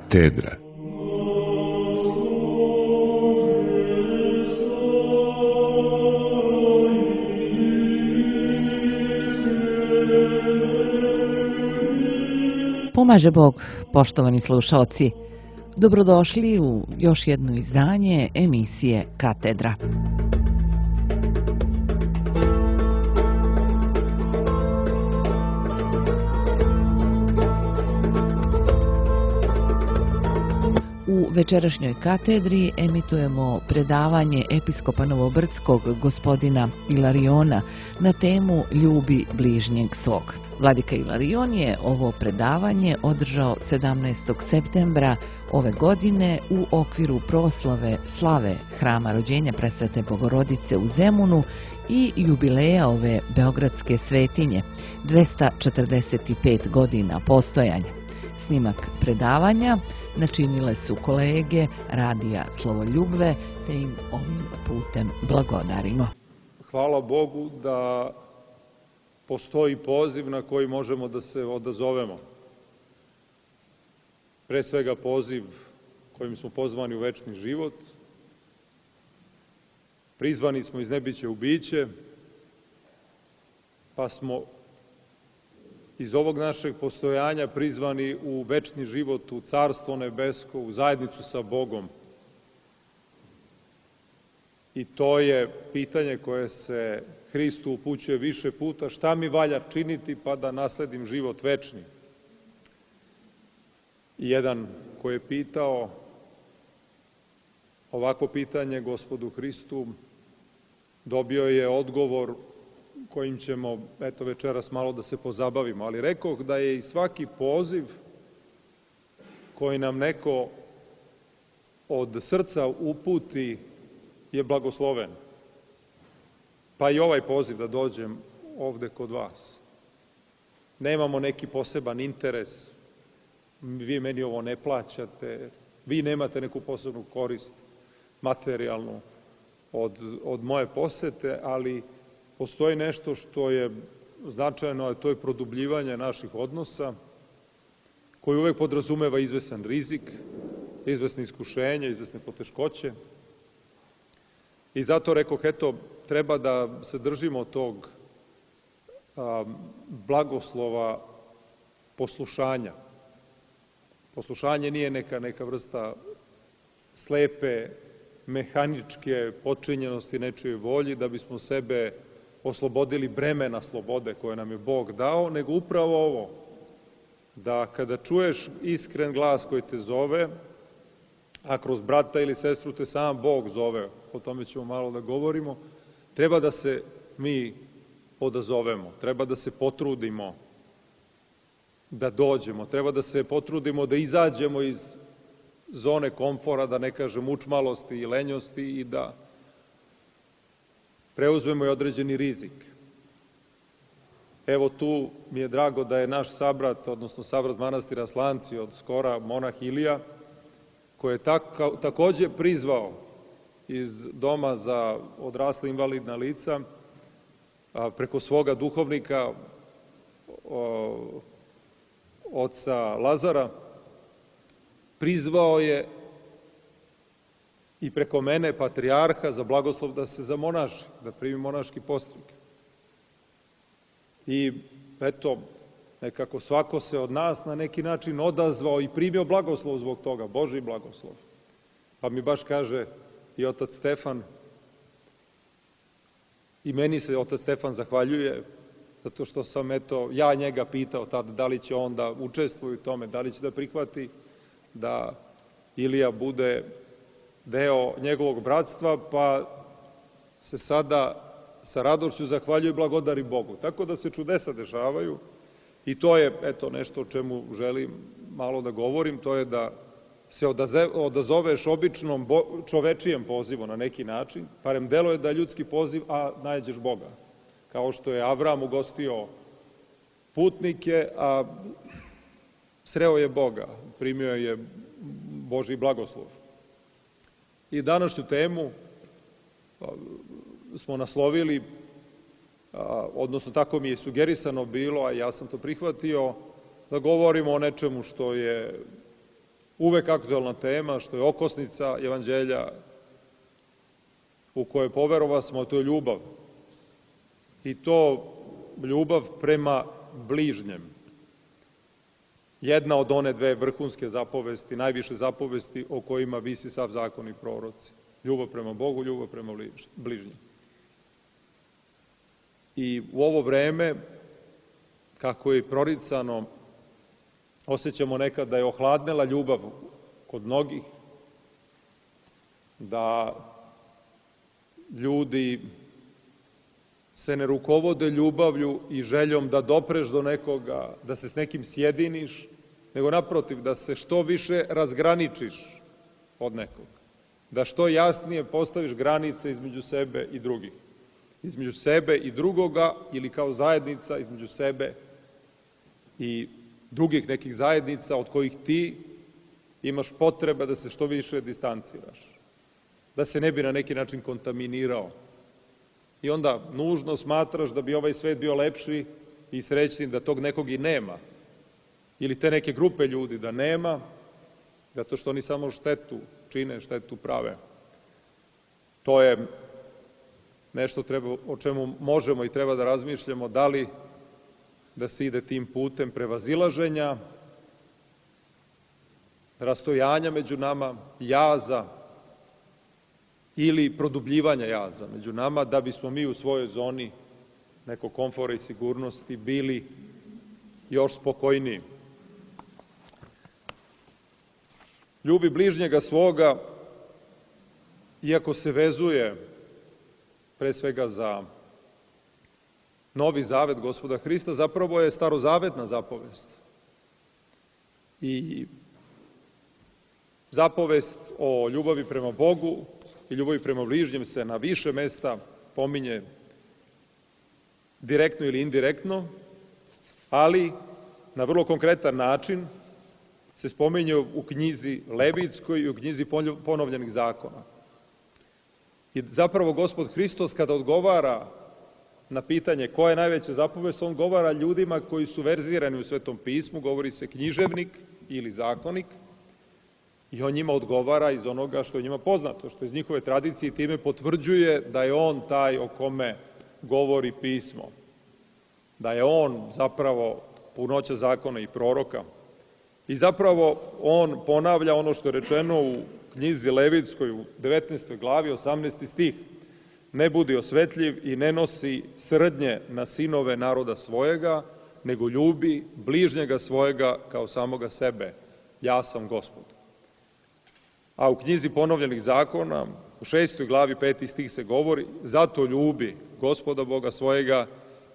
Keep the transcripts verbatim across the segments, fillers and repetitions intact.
Katedra. Pomaže Bog, poštovani slušaoci. Dobrodošli u još jedno izdanje emisije Katedra. U večerašnjoj katedri emitujemo predavanje episkopa Novobrdskog gospodina Ilariona na temu Ljubi bližnjeg svog. Vladika Ilarion je ovo predavanje održao sedamnaestog septembra ove godine u okviru proslave slave Hrama rođenja Presvete Bogorodice u Zemunu i jubileja ove beogradske svetinje, dvesta četrdeset pet godina postojanja. Snimak predavanja načinile su kolege Radija Slovoljubve, te im ovim putem blagodarimo. Hvala Bogu da postoji poziv na koji možemo da se odazovemo. Pre svega poziv kojim smo pozvani u večni život. Prizvani smo iz nebića u biće, pa smo iz ovog našeg postojanja prizvani u večni život, u Carstvo nebesko, u zajednicu sa Bogom. I to je pitanje koje se Hristu upućuje više puta, šta mi valja činiti pa da nasledim život večni. I jedan koji je pitao ovako pitanje Gospodu Hristu, dobio je odgovor kojim ćemo, eto, večeras malo da se pozabavimo. Ali rekoh da je i svaki poziv koji nam neko od srca uputi je blagosloven. Pa i ovaj poziv da dođem ovde kod vas. Nemamo neki poseban interes, vi meni ovo ne plaćate, vi nemate neku posebnu korist materijalnu od, od moje posete, ali postoji nešto što je značajno, a to je produbljivanje naših odnosa, koji uvek podrazumeva izvesan rizik, izvesne iskušenja, izvesne poteškoće. I zato rekoh, eto, treba da se držimo tog a, blagoslova poslušanja. Poslušanje nije neka, neka vrsta slepe, mehaničke počinjenosti nečije volji, da bismo sebe oslobodili bremena slobode koje nam je Bog dao, nego upravo ovo, da kada čuješ iskren glas koji te zove, a kroz brata ili sestru te sam Bog zove, o tome ćemo malo da govorimo, treba da se mi odazovemo, treba da se potrudimo da dođemo, treba da se potrudimo da izađemo iz zone komfora, da ne kažem učmalosti i lenjosti, i da preuzmemo i određeni rizik. Evo tu mi je drago da je naš sabrat, odnosno sabrat manastira Slanci od skora, monah Ilija, koji je tako, takođe prizvao iz doma za odrasla invalidna lica a, preko svoga duhovnika o, oca Lazara, prizvao je i preko mene patrijarha za blagoslov da se zamonaši, da primi monaški postrig. I eto, nekako svako se od nas na neki način odazvao i primio blagoslov zbog toga, Božji blagoslov. Pa mi baš kaže i otac Stefan, i meni se otac Stefan zahvaljuje, zato što sam, eto, ja njega pitao tada da li će on da učestvuje u tome, da li će da prihvati da Ilija bude deo njegovog bratstva, pa se sada sa radošću zahvaljuju i blagodari Bogu. Tako da se čudesa dešavaju i to je, eto, nešto o čemu želim malo da govorim, to je da se odazoveš običnom čovečijem pozivu na neki način, parem deluje da je ljudski poziv, a nađeš Boga. Kao što je Avram ugostio putnike, a sreo je Boga, primio je Božji blagoslov. I današnju temu smo naslovili, odnosno tako mi je sugerisano bilo, a ja sam to prihvatio, da govorimo o nečemu što je uvek aktuelna tema, što je okosnica evanđelja u kojoj poverova smo, a to je ljubav. I to ljubav prema bližnjem. Jedna od one dve vrhunske zapovesti, najviše zapovesti o kojima visi sav zakon i proroci. Ljubav prema Bogu, ljubav prema bližnjem. I u ovo vreme, kako je proricano, osjećamo nekad da je ohladnela ljubav kod mnogih, da ljudi se ne rukovode ljubavlju i željom da dopreš do nekoga, da se s nekim sjediniš, nego naprotiv, da se što više razgraničiš od nekog. Da što jasnije postaviš granice između sebe i drugih. Između sebe i drugoga, ili kao zajednica između sebe i drugih nekih zajednica od kojih ti imaš potreba da se što više distanciraš. Da se ne bi na neki način kontaminirao. I onda nužno smatraš da bi ovaj svet bio lepši i srećniji da tog nekog i nema. Ili te neke grupe ljudi da nema, zato što oni samo štetu čine, štetu prave. To je nešto treba, o čemu možemo i treba da razmišljamo, da li da se ide tim putem prevazilaženja, rastojanja među nama, jaza, ili produbljivanja jaza među nama, da bismo mi u svojoj zoni nekog komfora i sigurnosti bili još spokojniji. Ljubi bližnjega svoga, iako se vezuje pre svega za novi zavet Gospoda Hrista, zapravo je starozavetna zapovest. I zapovest o ljubavi prema Bogu i ljubavi prema bližnjem se na više mesta pominje direktno ili indirektno, ali na vrlo konkretan način se spominje u knjizi Levitskoj i u knjizi ponovljenih zakona. I zapravo Gospod Hristos, kada odgovara na pitanje koja je najveća zapovest, on govara ljudima koji su verzirani u Svetom pismu, govori se književnik ili zakonik, i on njima odgovara iz onoga što je njima poznato, što je iz njihove tradicije, i time potvrđuje da je on taj o kome govori pismo. Da je on zapravo punoća zakona i proroka. I zapravo on ponavlja ono što je rečeno u knjizi Levitskoj u devetnaestoj glavi, osamnaesti stih. Ne budi osvetljiv i ne nosi srdnje na sinove naroda svojega, nego ljubi bližnjega svojega kao samoga sebe. Ja sam Gospod. A u knjizi ponovljenih zakona, u šestoj glavi, peti stih se govori, zato ljubi Gospoda Boga svojega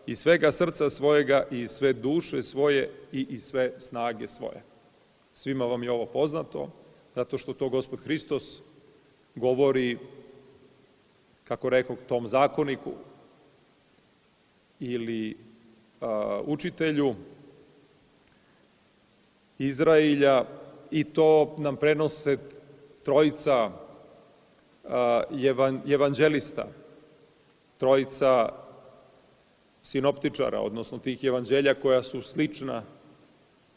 i svega srca svojega i sve duše svoje i, i sve snage svoje. Svima vam je ovo poznato, zato što to Gospod Hristos govori, kako rekao, tom zakoniku ili a, učitelju Izrailja, i to nam prenose trojica a, evan, evanđelista, trojica sinoptičara, odnosno tih evanđelja koja su slična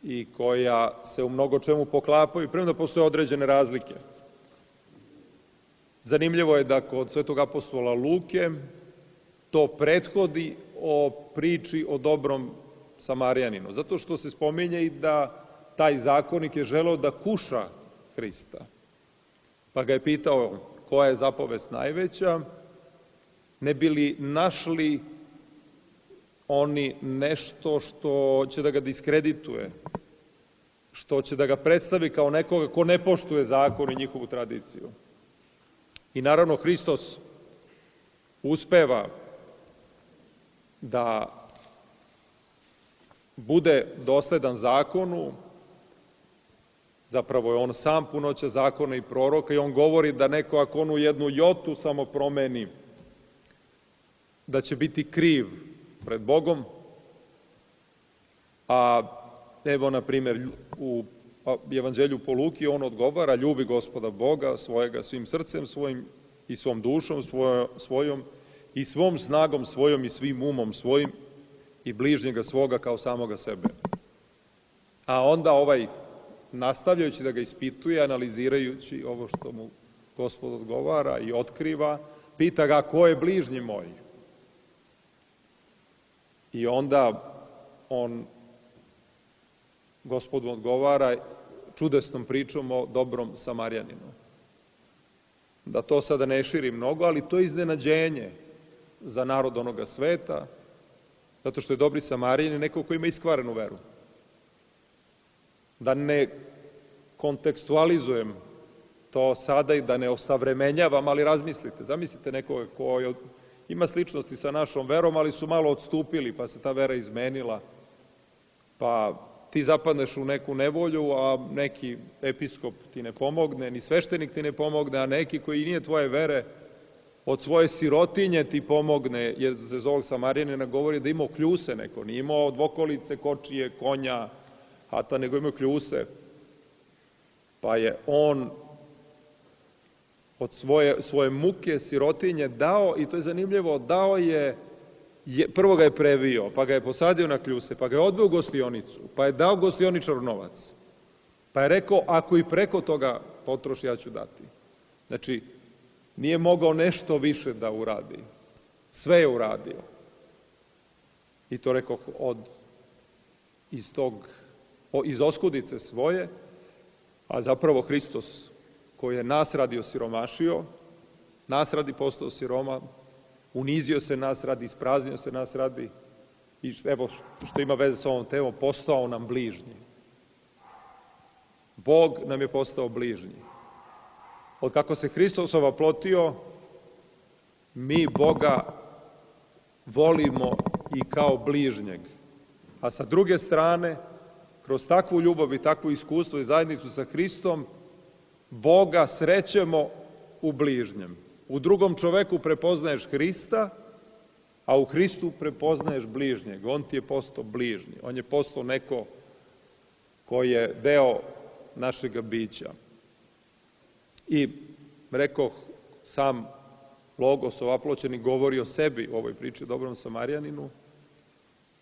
i koja se u mnogo čemu poklapaju, premda postoje određene razlike. Zanimljivo je da kod svetog apostola Luke to prethodi o priči o dobrom Samarijaninu, zato što se spominje i da taj zakonik je želeo da kuša Hrista. Pa ga je pitao koja je zapovest najveća, ne bi li našli oni nešto što će da ga diskredituje, što će da ga predstavi kao nekoga ko ne poštuje zakon i njihovu tradiciju. I naravno Hristos uspeva da bude dosledan zakonu, zapravo je on sam punoća zakona i proroka, i on govori da neko ako onu jednu jotu samo promeni, da će biti kriv pred Bogom. A evo, na primjer, u evanđelju po Luki on odgovara, ljubi Gospoda Boga svojega svim srcem svojim i svom dušom svojom i svom snagom svojom i svim umom svojim i bližnjega svoga kao samoga sebe. A onda ovaj nastavljajući da ga ispituje, analizirajući ovo što mu Gospod odgovara i otkriva, pita ga ko je bližnji moj. I onda on, Gospod mu odgovara čudesnom pričom o dobrom Samarjaninu. Da to sada ne širi mnogo, ali to je iznenađenje za narod onoga sveta, zato što je dobri Samarjanin neko ko ima iskvarenu veru. Da ne kontekstualizujem to sada i da ne osavremenjavam, ali razmislite. Zamislite nekoga ko ima sličnosti sa našom verom, ali su malo odstupili, pa se ta vera izmenila, pa ti zapadneš u neku nevolju, a neki episkop ti ne pomogne, ni sveštenik ti ne pomogne, a neki koji nije tvoje vere, od svoje sirotinje ti pomogne, jer se za ovog Samarjanina govori da imao kljuse neko, nije imao dvokolice, kočije, konja, hata, nego imao kljuse. Pa je on od svoje, svoje muke, sirotinje dao, i to je zanimljivo, dao je, je, prvo ga je previo, pa ga je posadio na kljuse, pa ga je odveo u gostionicu, pa je dao gostioničaru novac. Pa je rekao, ako i preko toga potroši, ja ću dati. Znači, nije mogao nešto više da uradi. Sve je uradio. I to rekao od, iz tog, iz oskudice svoje, a zapravo Hristos, koji je nas radi osiromašio, nas radi postao siroma, unizio se nas radi, ispraznio se nas radi, i evo što ima veze sa ovom temom, postao nam bližnji. Bog nam je postao bližnji. Od kako se Hristos ovaplotio, mi Boga volimo i kao bližnjeg. A sa druge strane, kroz takvu ljubav i takvo iskustvo i zajednicu sa Hristom, Boga srećemo u bližnjem. U drugom čoveku prepoznaješ Hrista, a u Hristu prepoznaješ bližnjeg. On ti je postao bližnji. On je postao neko koji je deo našega bića. I, rekoh, sam Logos ovaploćeni govori o sebi u ovoj priči o dobrom Samarjaninu,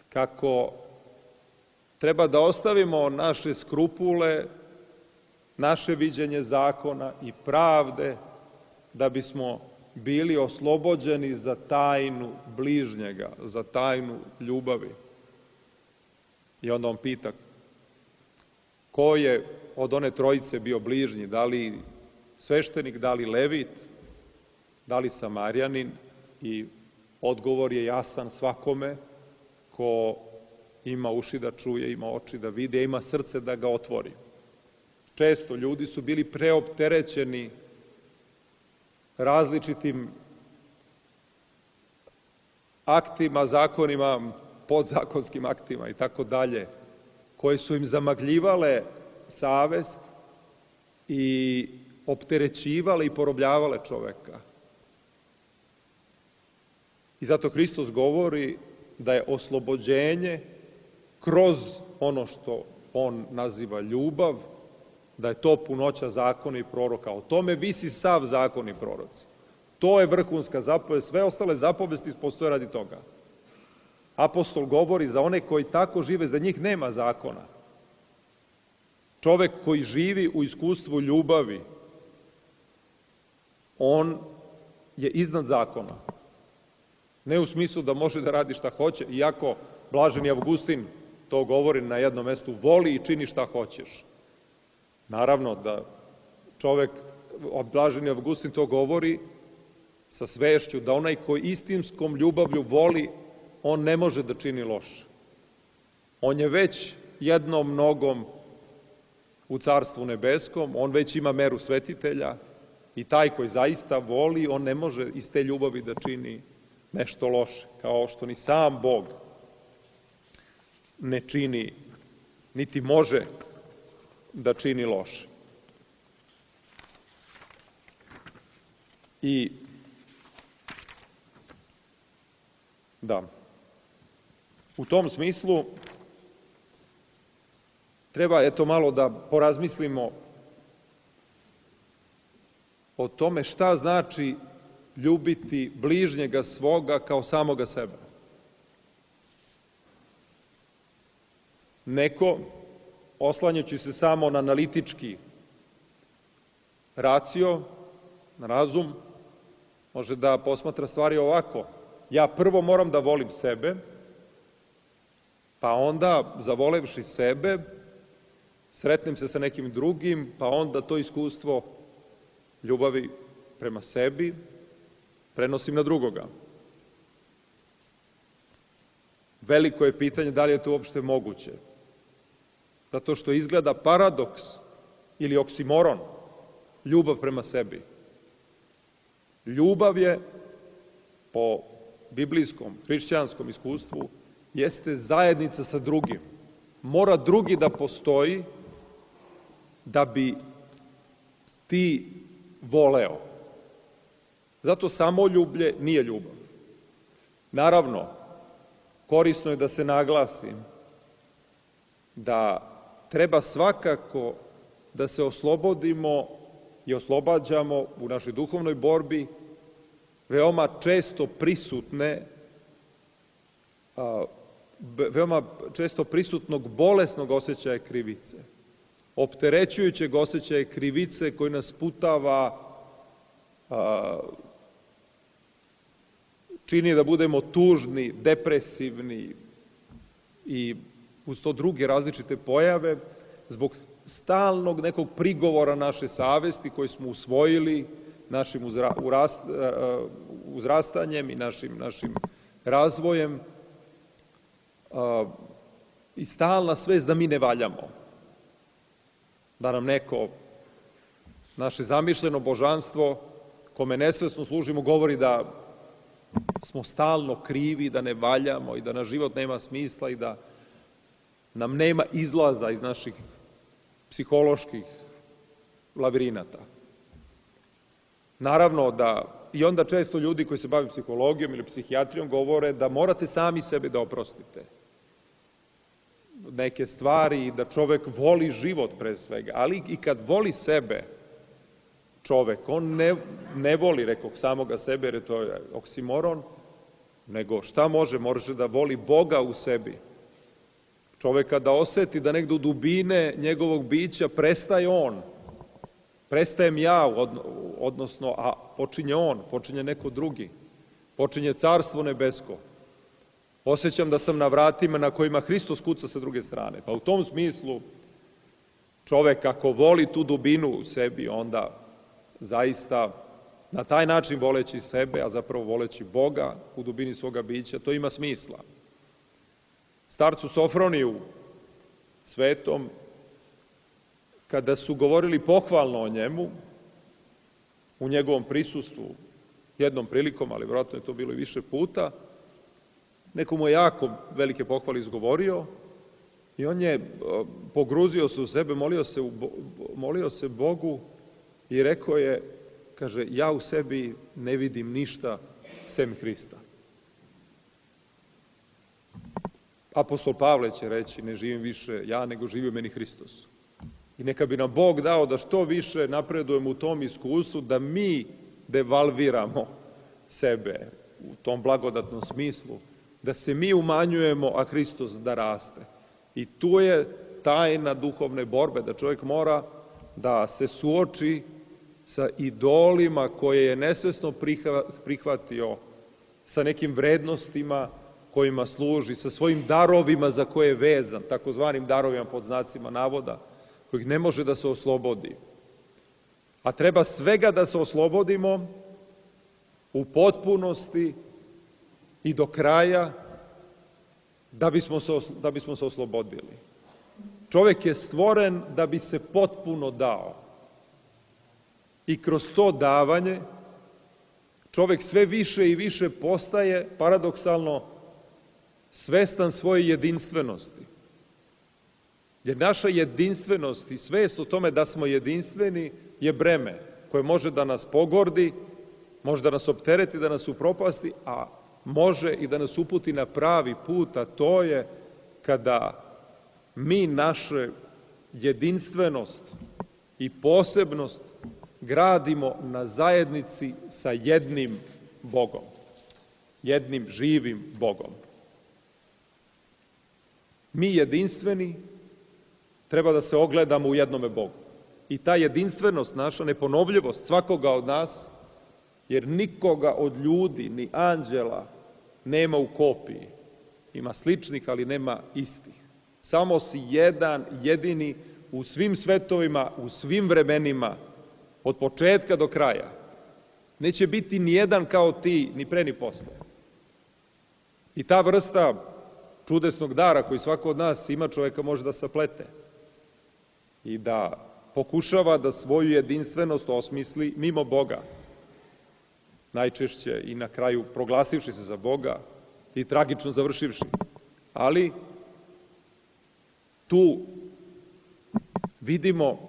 kako treba da ostavimo naše skrupule, naše viđenje zakona i pravde, da bismo bili oslobođeni za tajnu bližnjega, za tajnu ljubavi. I onda on pita, ko je od one trojice bio bližnji, da li sveštenik, da li levit, da li Samarjanin, i odgovor je jasan svakome ko ima uši da čuje, ima oči da vide, ima srce da ga otvori. Često ljudi su bili preopterećeni različitim aktima, zakonima, podzakonskim aktima i tako dalje, koje su im zamagljivale savest i opterećivale i porobljavale čoveka. I zato Hristos govori da je oslobođenje kroz ono što on naziva ljubav, da je to punoća zakona i proroka. O tome visi sav zakon i proroci. To je vrhunska zapovest, sve ostale zapovesti postoje radi toga. Apostol govori za one koji tako žive, za njih nema zakona. Čovek koji živi u iskustvu ljubavi, on je iznad zakona. Ne u smislu da može da radi šta hoće, iako blaženi Avgustin to govori na jednom mestu, voli i čini šta hoćeš. Naravno da čovek, blaženi Avgustin to govori sa svešću, da onaj koji istinskom ljubavlju voli, on ne može da čini loše. On je već jednom nogom u Carstvu nebeskom, on već ima meru svetitelja i taj koji zaista voli, on ne može iz te ljubavi da čini nešto loše, kao što ni sam Bog ne čini, niti može da čini loše. I da, u tom smislu treba eto malo da porazmislimo o tome šta znači ljubiti bližnjega svoga kao samoga sebe. Neko oslanjajući se samo na analitički racio, na razum, može da posmatra stvari ovako. Ja prvo moram da volim sebe, pa onda, zavolevši sebe, sretnem se sa nekim drugim, pa onda to iskustvo ljubavi prema sebi prenosim na drugoga. Veliko je pitanje da li je to uopšte moguće. Zato što izgleda paradoks ili oksimoron, ljubav prema sebi. Ljubav je, po biblijskom, hrišćanskom iskustvu, jeste zajednica sa drugim. Mora drugi da postoji da bi ti voleo. Zato samoljublje nije ljubav. Naravno, korisno je da se naglasi da treba svakako da se oslobodimo i oslobađamo u našoj duhovnoj borbi veoma često prisutne, veoma često prisutnog bolesnog osjećaja krivice, opterećujućeg osjećaja krivice koji nas sputava, čini da budemo tužni, depresivni i uz to druge različite pojave, zbog stalnog nekog prigovora naše savesti koji smo usvojili našim uzrastanjem i našim, našim razvojem i stalna svest da mi ne valjamo, da nam neko, naše zamišljeno božanstvo, kome nesvesno služimo, govori da smo stalno krivi, da ne valjamo i da naš život nema smisla i da nam nema izlaza iz naših psiholoških lavirinata. Naravno da, i onda često ljudi koji se bave psihologijom ili psihijatrijom govore da morate sami sebe da oprostite neke stvari i da čovek voli život pre svega, ali i kad voli sebe čovek, on ne, ne voli, rekoh, samoga sebe, jer je to oksimoron, nego šta može? Može da voli Boga u sebi. Čovek kada oseti da negde u dubine njegovog bića prestaje on, prestajem ja, odnosno, a počinje on, počinje neko drugi, počinje carstvo nebesko. Osjećam da sam na vratima na kojima Hristos kuca sa druge strane. Pa u tom smislu, čovek ako voli tu dubinu u sebi, onda zaista na taj način voleći sebe, a zapravo voleći Boga u dubini svoga bića, to ima smisla. Starcu Sofroniju svetom, kada su govorili pohvalno o njemu, u njegovom prisustvu, jednom prilikom, ali vjerojatno je to bilo i više puta, neko mu je jako velike pohvale izgovorio i on je pogruzio se u sebe, molio se, u, molio se Bogu i rekao je, kaže, ja u sebi ne vidim ništa sem Hrista. Apostol Pavle će reći, ne živim više ja, nego živi u meni Hristos. I neka bi nam Bog dao da što više napredujemo u tom iskustvu, da mi devalviramo sebe u tom blagodatnom smislu, da se mi umanjujemo, a Hristos da raste. I tu je tajna duhovne borbe, da čovjek mora da se suoči sa idolima koje je nesvesno prihvatio, sa nekim vrednostima kojima služi, sa svojim darovima za koje je vezan, takozvanim darovima pod znacima navoda, kojih ne može da se oslobodi. A treba svega da se oslobodimo u potpunosti i do kraja da bismo se, da bismo se oslobodili. Čovjek je stvoren da bi se potpuno dao. I kroz to davanje čovjek sve više i više postaje, paradoksalno, svestan svoje jedinstvenosti. Jer naša jedinstvenost i svest o tome da smo jedinstveni je breme koje može da nas pogordi, može da nas optereti, da nas upropasti, a može i da nas uputi na pravi put, a to je kada mi naše jedinstvenost i posebnost gradimo na zajednici sa jednim Bogom, jednim živim Bogom. Mi jedinstveni treba da se ogledamo u jednome Bogu. I ta jedinstvenost naša, neponovljivost svakoga od nas, jer nikoga od ljudi, ni anđela, nema u kopiji. Ima sličnih, ali nema istih. Samo si jedan, jedini, u svim svetovima, u svim vremenima, od početka do kraja. Neće biti ni jedan kao ti, ni pre ni posle. I ta vrsta čudesnog dara koji svako od nas ima, čoveka može da saplete i da pokušava da svoju jedinstvenost osmisli mimo Boga, najčešće i na kraju proglasivši se za Boga i tragično završivši. Ali tu vidimo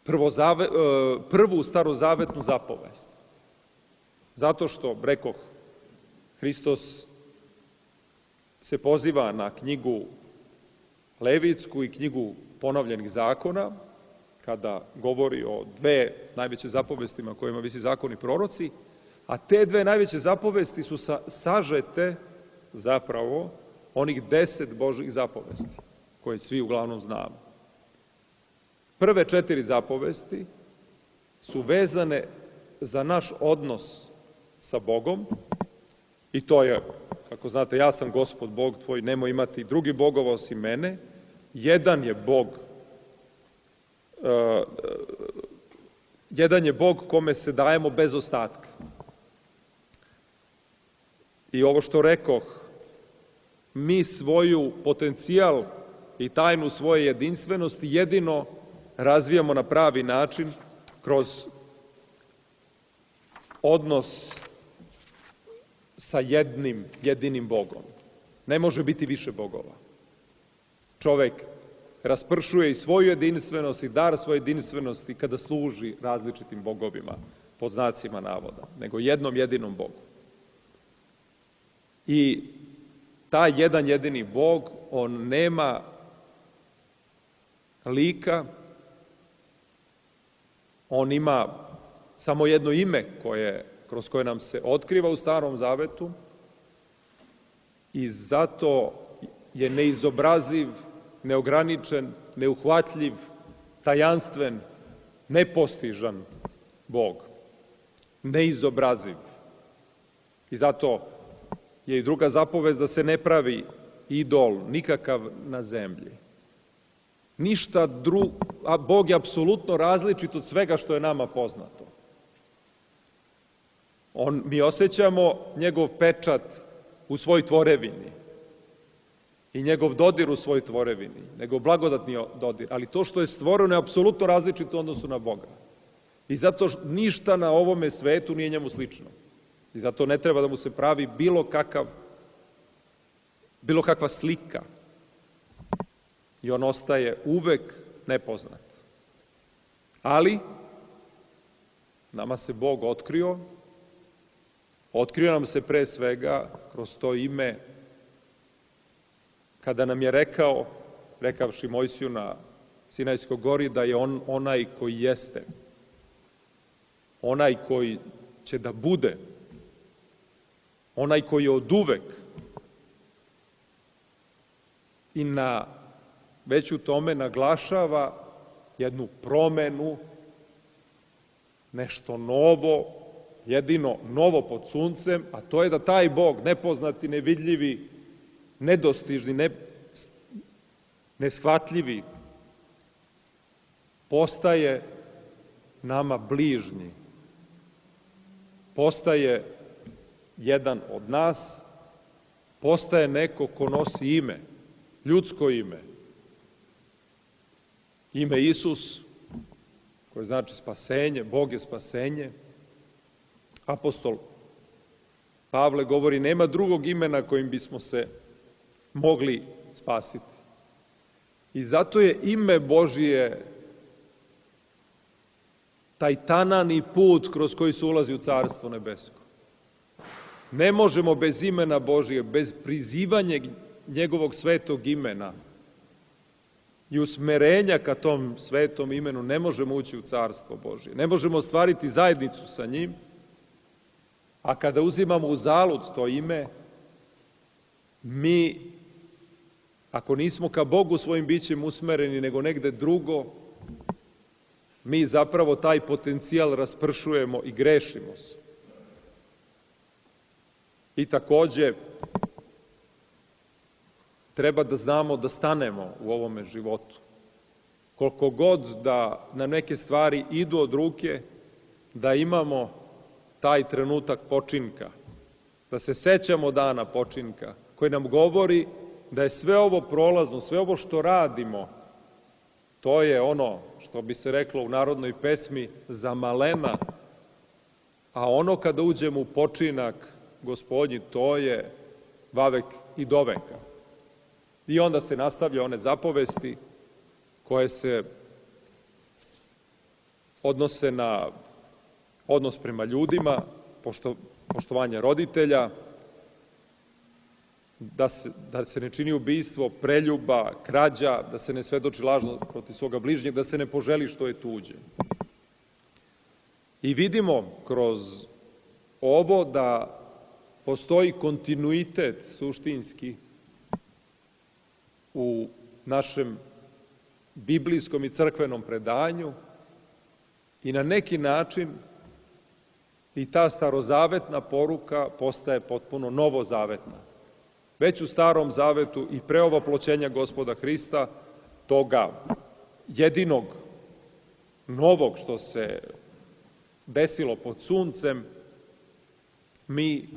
prvozave, prvu starozavetnu zapovest. Zato što, rekoh, Hristos se poziva na knjigu Levitsku i knjigu ponovljenih zakona, kada govori o dve najveće zapovestima kojima visi zakoni proroci, a te dve najveće zapovesti su sa, sažete zapravo onih deset Božih zapovesti, koje svi uglavnom znamo. Prve četiri zapovesti su vezane za naš odnos sa Bogom, i to je, kako znate, ja sam Gospod Bog tvoj, nemoj imati drugi bogova osim mene, jedan je Bog, uh, jedan je Bog kome se dajemo bez ostatka. I ovo što rekoh, mi svoju potencijal i tajnu svoje jedinstvenosti jedino razvijamo na pravi način kroz odnos sa jednim, jedinim Bogom. Ne može biti više bogova. Čovek raspršuje i svoju jedinstvenost i dar svoje jedinstvenosti kada služi različitim bogovima, pod znacima navoda, nego jednom jedinom Bogu. I taj jedan jedini Bog, on nema lika, on ima samo jedno ime koje, kroz koje nam se otkriva u Starom Zavetu i zato je neizobraziv, neograničen, neuhvatljiv, tajanstven, nepostižan Bog. Neizobraziv. I zato je i druga zapovest da se ne pravi idol nikakav na zemlji. Ništa drugo, a Bog je apsolutno različit od svega što je nama poznato. On, mi osjećamo njegov pečat u svoj tvorevini i njegov dodir u svoj tvorevini, njegov blagodatni dodir, ali to što je stvoreno je apsolutno različito u odnosu na Boga. I zato ništa na ovome svetu nije njemu slično. I zato ne treba da mu se pravi bilo kakav, bilo kakva slika. I on ostaje uvek nepoznat. Ali, nama se Bog otkrio, otkrio nam se pre svega kroz to ime, kada nam je rekao, rekavši Mojsiju na Sinajskoj gori, da je on onaj koji jeste, onaj koji će da bude, onaj koji je oduvek. I na već u tome naglašava jednu promenu, nešto novo, jedino novo pod suncem, a to je da taj Bog, nepoznati, nevidljivi, nedostižni, ne, neshvatljivi, postaje nama bližnji. Postaje jedan od nas, postaje neko ko nosi ime, ljudsko ime. Ime Isus, koje znači spasenje, Bog je spasenje. Apostol Pavle govori, nema drugog imena kojim bismo se mogli spasiti. I zato je ime Božije taj tanani put kroz koji se ulazi u Carstvo nebesko. Ne možemo bez imena Božije, bez prizivanja njegovog svetog imena i usmerenja ka tom svetom imenu, ne možemo ući u Carstvo Božije. Ne možemo ostvariti zajednicu sa njim, a kada uzimamo u zalud to ime, mi ako nismo ka Bogu svojim bićem usmereni, nego negde drugo, mi zapravo taj potencijal raspršujemo i grešimo se. I takođe, treba da znamo da stanemo u ovome životu. Koliko god da na neke stvari idu od ruke, da imamo taj trenutak počinka, da se sećamo dana počinka, koji nam govori da je sve ovo prolazno, sve ovo što radimo, to je ono što bi se reklo u narodnoj pesmi za malena, a ono kada uđemo u počinak Gospodnji, to je vavek i doveka. I onda se nastavlja one zapovesti koje se odnose na odnos prema ljudima, pošto, poštovanje roditelja, da se, da se ne čini ubistvo, preljuba, krađa, da se ne svedoči lažno protiv svoga bližnjeg, da se ne poželi što je tuđe. I vidimo kroz ovo da postoji kontinuitet suštinski u našem biblijskom i crkvenom predanju i na neki način i ta starozavetna poruka postaje potpuno novozavetna. Već u Starom zavetu i pre ovoploćenja Gospoda Hrista, toga jedinog novog što se desilo pod suncem, mi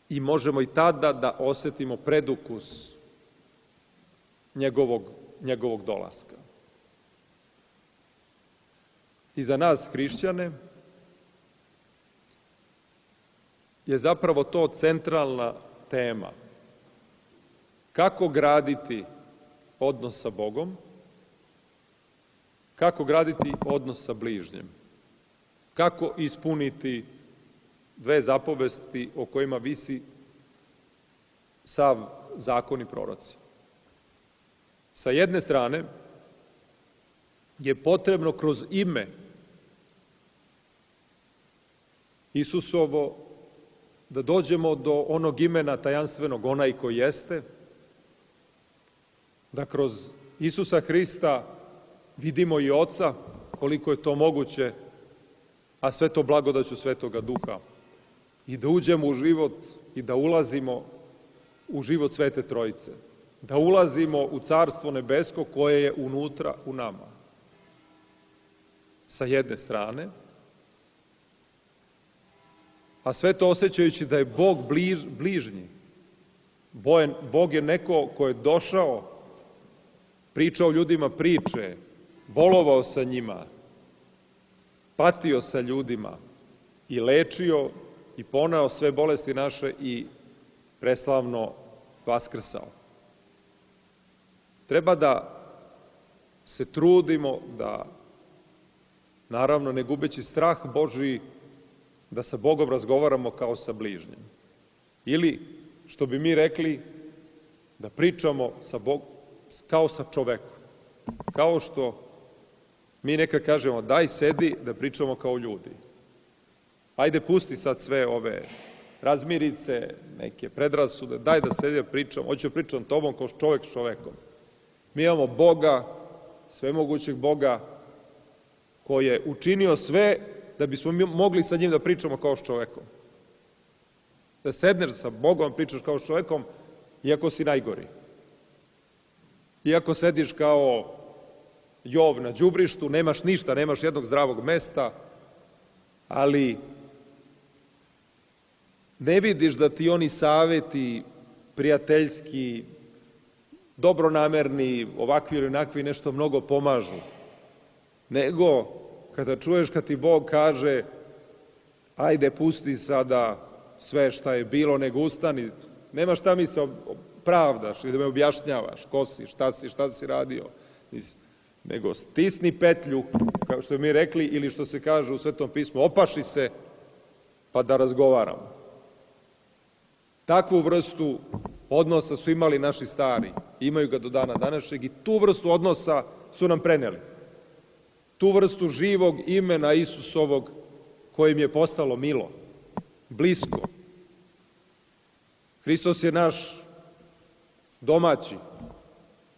i možemo i tada da osetimo predukus njegovog, njegovog dolaska. I za nas, hrišćane, je zapravo to centralna tema. Kako graditi odnos sa Bogom, kako graditi odnos sa bližnjem, kako ispuniti dve zapovesti o kojima visi sav zakon i proroci. Sa jedne strane je potrebno kroz ime Isusovo da dođemo do onog imena tajanstvenog, onaj koji jeste, da kroz Isusa Hrista vidimo i Oca, koliko je to moguće, a sve to blagodaću Svetoga Duha, i da uđemo u život i da ulazimo u život Svete Trojice, da ulazimo u Carstvo nebesko koje je unutra u nama. Sa jedne strane, a sve to osjećajući da je Bog bliž, bližnji. Bog je neko ko je došao, pričao ljudima priče, bolovao sa njima, patio sa ljudima i lečio i poneo sve bolesti naše i preslavno vaskrsao. Treba da se trudimo da, naravno ne gubeći strah Božiji, da sa Bogom razgovaramo kao sa bližnjim. Ili, što bi mi rekli, da pričamo sa Bogom kao sa čovekom. Kao što mi nekad kažemo, daj sedi da pričamo kao ljudi. Ajde pusti sad sve ove razmirice, neke predrasude, daj da sedi da pričam, hoću da pričam tobom kao čovek s čovekom. Mi imamo Boga, svemogućeg Boga, koji je učinio sve da bismo mi mogli sa njim da pričamo kao s čovekom. Da sedneš sa Bogom, pričaš kao s čovekom, iako si najgori. Iako sediš kao Jov na đubrištu, nemaš ništa, nemaš jednog zdravog mesta, ali ne vidiš da ti oni saveti prijateljski, dobronamerni, ovakvi ili onakvi nešto mnogo pomažu. Nego, kada čuješ kad ti Bog kaže, ajde pusti sada sve šta je bilo, nego ustani, nema šta mi se pravdaš i da me objašnjavaš, ko si, šta si, šta si radio, nego stisni petlju, kao što mi rekli, ili što se kaže u Svetom pismu, opaši se, pa da razgovaramo. Takvu vrstu odnosa su imali naši stari, imaju ga do dana današnjeg i tu vrstu odnosa su nam preneli. Tu vrstu živog imena Isusovog kojim je postalo milo, blisko. Hristos je naš domaći.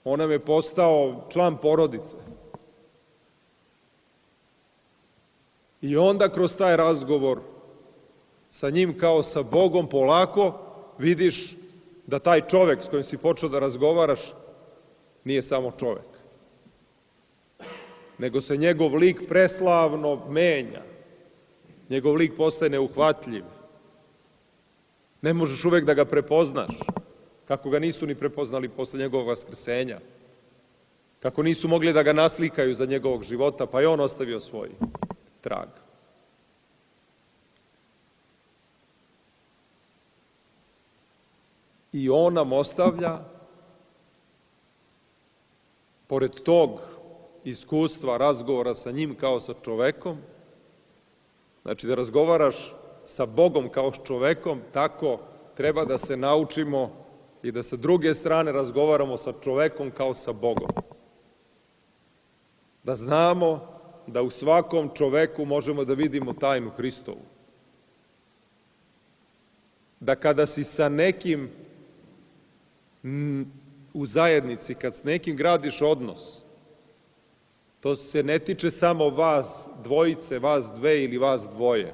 On nam je postao član porodice. I onda kroz taj razgovor sa njim kao sa Bogom polako vidiš da taj čovek s kojim si počeo da razgovaraš nije samo čovek, nego se njegov lik preslavno menja. Njegov lik postaje neuhvatljiv. Ne možeš uvek da ga prepoznaš, kako ga nisu ni prepoznali posle njegovog vaskrsenja, kako nisu mogli da ga naslikaju za njegovog života, pa je on ostavio svoj trag. I on nam ostavlja, pored tog iskustva, razgovora sa njim kao sa čovekom, znači da razgovaraš sa Bogom kao s čovekom, tako treba da se naučimo i da sa druge strane razgovaramo sa čovekom kao sa Bogom. Da znamo da u svakom čoveku možemo da vidimo tajnu Hristovu. Da kada si sa nekim u zajednici, kad s nekim gradiš odnos, to se ne tiče samo vas dvojice, vas dve ili vas dvoje,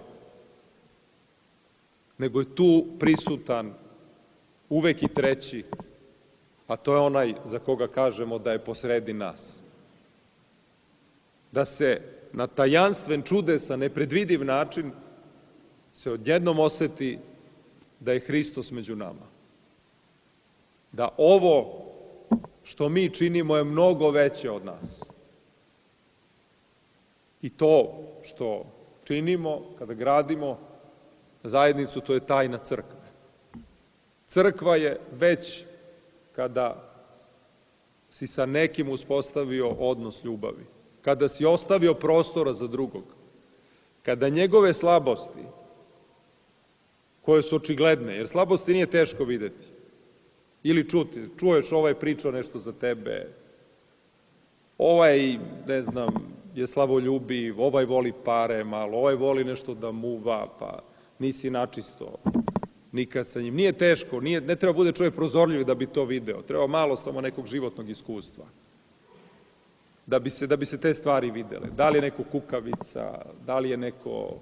nego je tu prisutan uvek i treći, a to je onaj za koga kažemo da je posredi nas. Da se na tajanstven, čudesan, nepredvidiv način se odjednom oseti da je Hristos među nama. Da ovo što mi činimo je mnogo veće od nas. I to što činimo kada gradimo zajednicu, to je tajna crkve. Crkva je već kada si sa nekim uspostavio odnos ljubavi, kada si ostavio prostora za drugog, kada njegove slabosti, koje su očigledne, jer slabosti nije teško videti, ili čuti, čuješ ovaj pričao nešto za tebe, ovaj, ne znam, je slavoljubiv, ovaj voli pare malo, ovaj voli nešto da muva, pa nisi načisto nikad sa njim. Nije teško, nije, ne treba bude čovjek prozorljiv da bi to video, treba malo samo nekog životnog iskustva, da bi se, da bi se te stvari videle. Da li je neko kukavica, da li je neko,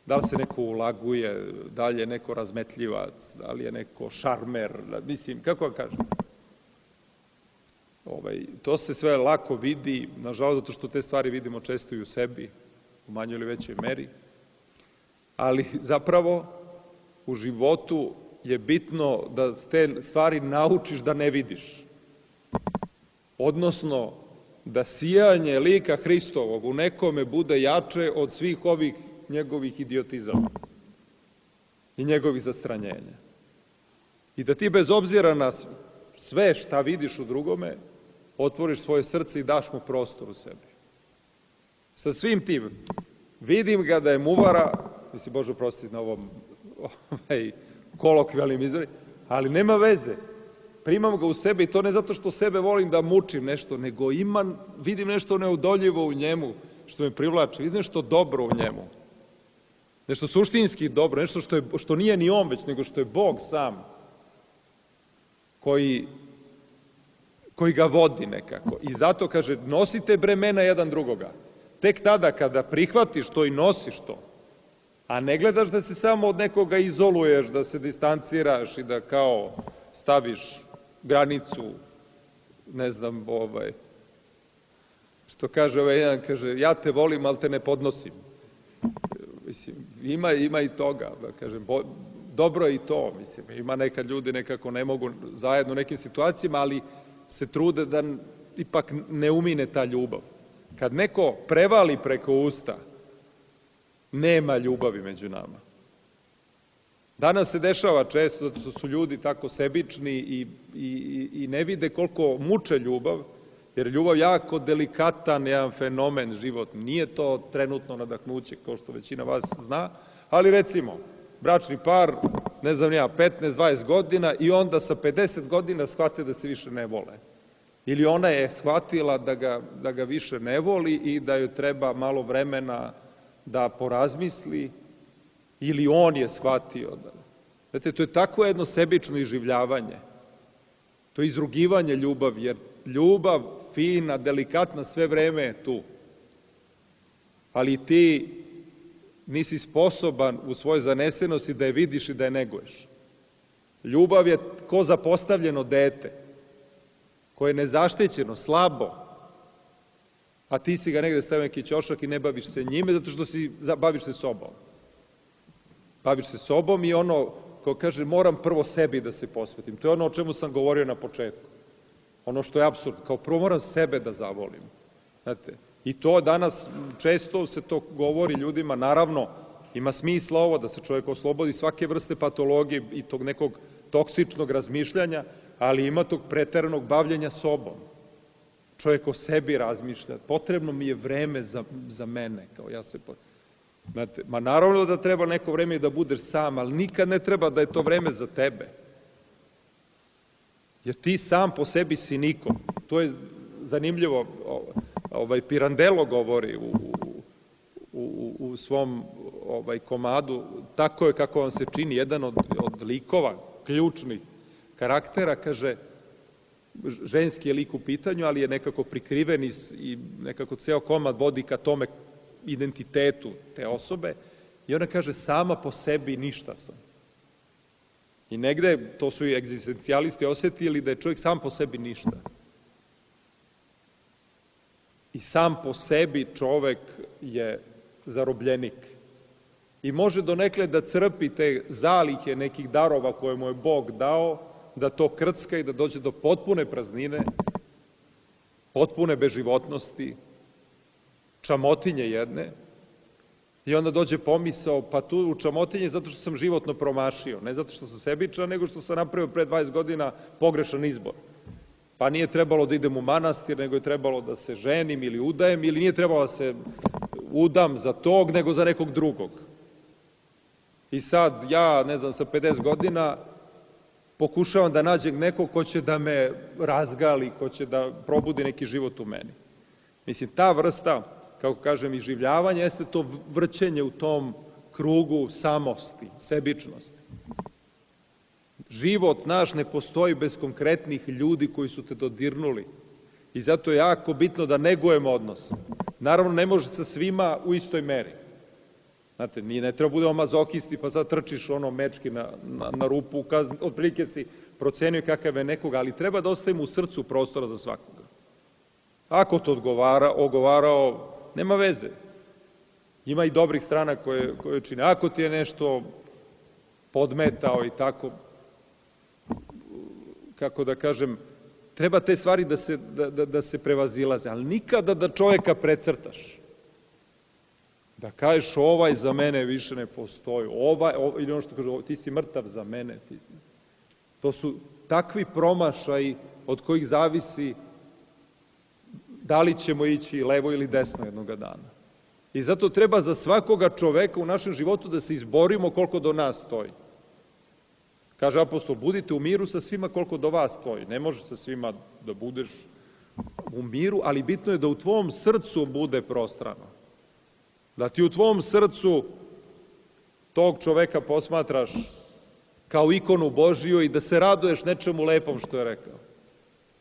da li se neko ulaguje, da li je neko razmetljivac, da li je neko šarmer, mislim, kako vam kažem? Ovaj, to se sve lako vidi, nažalost, zato što te stvari vidimo često i u sebi, u manjoj ili većoj meri, ali zapravo u životu je bitno da te stvari naučiš da ne vidiš. Odnosno, da sijanje lika Hristovog u nekome bude jače od svih ovih njegovih idiotizama i njegovih zastranjenja. I da ti bez obzira na sve šta vidiš u drugome, otvoriš svoje srce i daš mu prostor u sebi. Sa svim tim, vidim ga da je muvara, mislim, Bože oprostiti na ovom ovaj, kolokvijalnim izvori, ali nema veze. Primam ga u sebe i to ne zato što sebe volim da mučim nešto, nego imam, vidim nešto neodoljivo u njemu, što me privlači, vidim nešto dobro u njemu. Nešto suštinski dobro, nešto što, je, što nije ni on već, nego što je Bog sam, koji, koji ga vodi nekako. I zato kaže, nosite bremena jedan drugoga. Tek tada kada prihvatiš to i nosiš to, a ne gledaš da se samo od nekoga izoluješ, da se distanciraš i da kao staviš granicu, ne znam, ovaj, što kaže ovaj jedan, kaže, ja te volim, ali te ne podnosim. Mislim, ima, ima i toga, da kažem, bo, dobro je i to, mislim, ima nekad ljudi nekako ne mogu zajedno u nekim situacijama, ali se trude da ipak ne umine ta ljubav. Kad neko prevali preko usta, nema ljubavi među nama. Danas se dešava često da su ljudi tako sebični i, i, i ne vide koliko muče ljubav, jer ljubav jako delikatan jedan fenomen životni. Nije to trenutno nadahnuće, kao što većina vas zna, ali recimo, bračni par, ne znam ja, petnaest dvadeset godina i onda sa pedeset godina shvate da se više ne vole. Ili ona je shvatila da ga, da ga više ne voli i da joj treba malo vremena da porazmisli, ili on je shvatio da, Znate, to je tako jedno sebično iživljavanje. To je izrugivanje ljubavi, jer ljubav, fina, delikatna, sve vreme je tu. Ali ti nisi sposoban u svojoj zanesenosti da je vidiš i da je neguješ. Ljubav je ko zapostavljeno dete, koje je nezaštićeno, slabo, a ti si ga negde stavio neki ćošak i ne baviš se njime, zato što si, baviš se sobom. Baviš se sobom i ono, ko kaže, moram prvo sebi da se posvetim. To je ono o čemu sam govorio na početku. Ono što je apsurd, kao prvo moram sebe da zavolim. Znate, i to danas često se to govori ljudima, naravno, ima smisla ovo da se čovjek oslobodi svake vrste patologije i tog nekog toksičnog razmišljanja, ali ima tog preteranog bavljenja sobom. Čovjek o sebi razmišlja, potrebno mi je vreme za, za mene, kao ja se... Znate, ma naravno da treba neko vreme da budeš sam, ali nikad ne treba da je to vreme za tebe. Jer ti sam po sebi si niko. To je zanimljivo, ovaj, Pirandello govori u, u, u svom ovaj, komadu, tako je kako vam se čini, jedan od, od likova, ključnih karaktera, kaže, ženski je lik u pitanju, ali je nekako prikriven i nekako ceo komad vodi ka tome identitetu te osobe i ona kaže, sama po sebi ništa sam. I negde, to su i egzistencijalisti osetili da je čovjek sam po sebi ništa. I sam po sebi čovek je zarobljenik. I može donekle da crpi te zalihe nekih darova koje mu je Bog dao, da to krcka i da dođe do potpune praznine, potpune beživotnosti, čamotinje jedne, i onda dođe pomisao, pa tu u čamotinje zato što sam životno promašio, ne zato što sam sebičan, nego što sam napravio pre dvadeset godina pogrešan izbor. Pa nije trebalo da idem u manastir, nego je trebalo da se ženim ili udajem, ili nije trebalo da se udam za tog, nego za nekog drugog. I sad ja, ne znam, sa pedeset godina pokušavam da nađem nekog ko će da me razgali, ko će da probudi neki život u meni. Mislim, ta vrsta, kako kažem, iživljavanja, jeste to vrćenje u tom krugu samosti, sebičnosti. Život naš ne postoji bez konkretnih ljudi koji su te dodirnuli. I zato je jako bitno da negujemo odnos. Naravno, ne može sa svima u istoj meri. Znate, nije, ne treba budemo mazohisti, pa sad trčiš ono mečki na, na, na rupu, otprilike si procenio kakav je nekoga, ali treba da ostavimo u srcu prostora za svakoga. Ako to odgovara, ogovarao, nema veze. Ima i dobrih strana koje, koje čine. Ako ti je nešto podmetao i tako, kako da kažem, treba te stvari da se, da, da, da se prevazilaze, ali nikada da čoveka precrtaš. Da kažeš, ovaj za mene više ne postoji, ovaj, ovaj, ili ono što kaže, ti si mrtav za mene. Ti si. To su takvi promašaji od kojih zavisi da li ćemo ići levo ili desno jednoga dana. I zato treba za svakoga čoveka u našem životu da se izborimo koliko do nas stoji. Kaže apostol, budite u miru sa svima koliko do vas stoji. Ne može sa svima da budeš u miru, ali bitno je da u tvom srcu bude prostrano. Da ti u tvom srcu tog čoveka posmatraš kao ikonu Božiju i da se raduješ nečemu lepom što je rekao.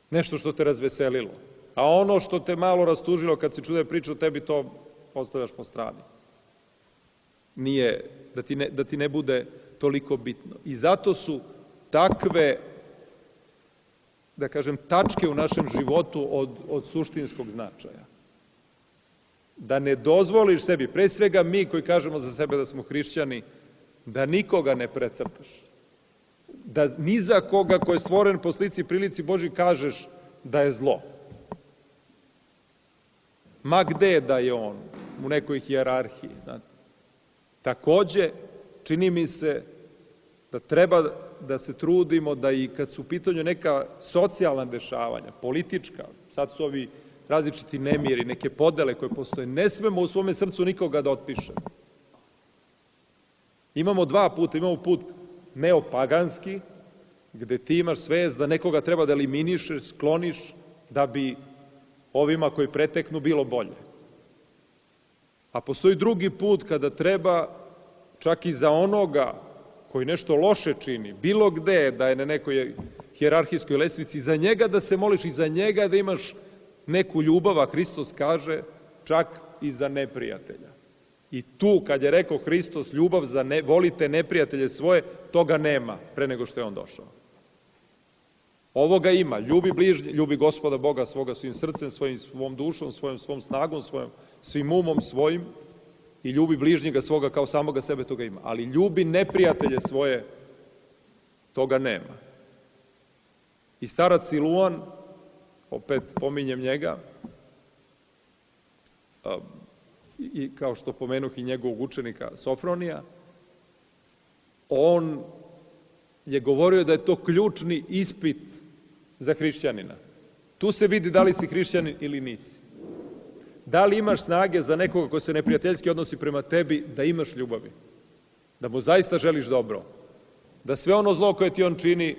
Nešto što te razveselilo. A ono što te malo rastužilo kad si čude priču o tebi, to ostavljaš po strani. Nije, da ti ne, da ti ne bude toliko bitno. I zato su takve, da kažem, tačke u našem životu od, od suštinskog značaja. Da ne dozvoliš sebi, pre svega mi koji kažemo za sebe da smo hrišćani, da nikoga ne precrtaš. Da ni za koga ko je stvoren po slici i prilici Božji kažeš da je zlo. Ma gde da je on, u nekoj hijerarhiji. Znate. Takođe, čini mi se da treba da se trudimo da i kad su u pitanju neka socijalna dešavanja, politička, sad su ovi različiti nemiri, neke podele koje postoje, ne smemo u svome srcu nikoga da otpišemo. Imamo dva puta, imamo put neopaganski, gde ti imaš svest da nekoga treba da eliminišeš, skloniš, da bi ovima koji preteknu bilo bolje. A postoji drugi put kada treba čak i za onoga koji nešto loše čini, bilo gde da je na nekoj hijerarhijskoj lestvici, za njega da se moliš i za njega da imaš neku ljubav, a Hristos kaže čak i za neprijatelja. I tu, kad je rekao Hristos, ljubav za ne, volite neprijatelje svoje, toga nema pre nego što je on došao. Ovoga ima, ljubi bližnje, ljubi Gospoda Boga svoga svojim srcem, svojim svom dušom, svojom svom snagom, svojim svim umom svojim i ljubi bližnjega svoga kao samoga sebe, toga ima. Ali ljubi neprijatelje svoje, toga nema. I starac Siluan, opet pominjem njega, i kao što pomenuh i njegovog učenika Sofronija, on je govorio da je to ključni ispit za hrišćanina. Tu se vidi da li si hrišćanin ili nisi. Da li imaš snage za nekoga ko se neprijateljski odnosi prema tebi, da imaš ljubavi, da mu zaista želiš dobro, da sve ono zlo koje ti on čini,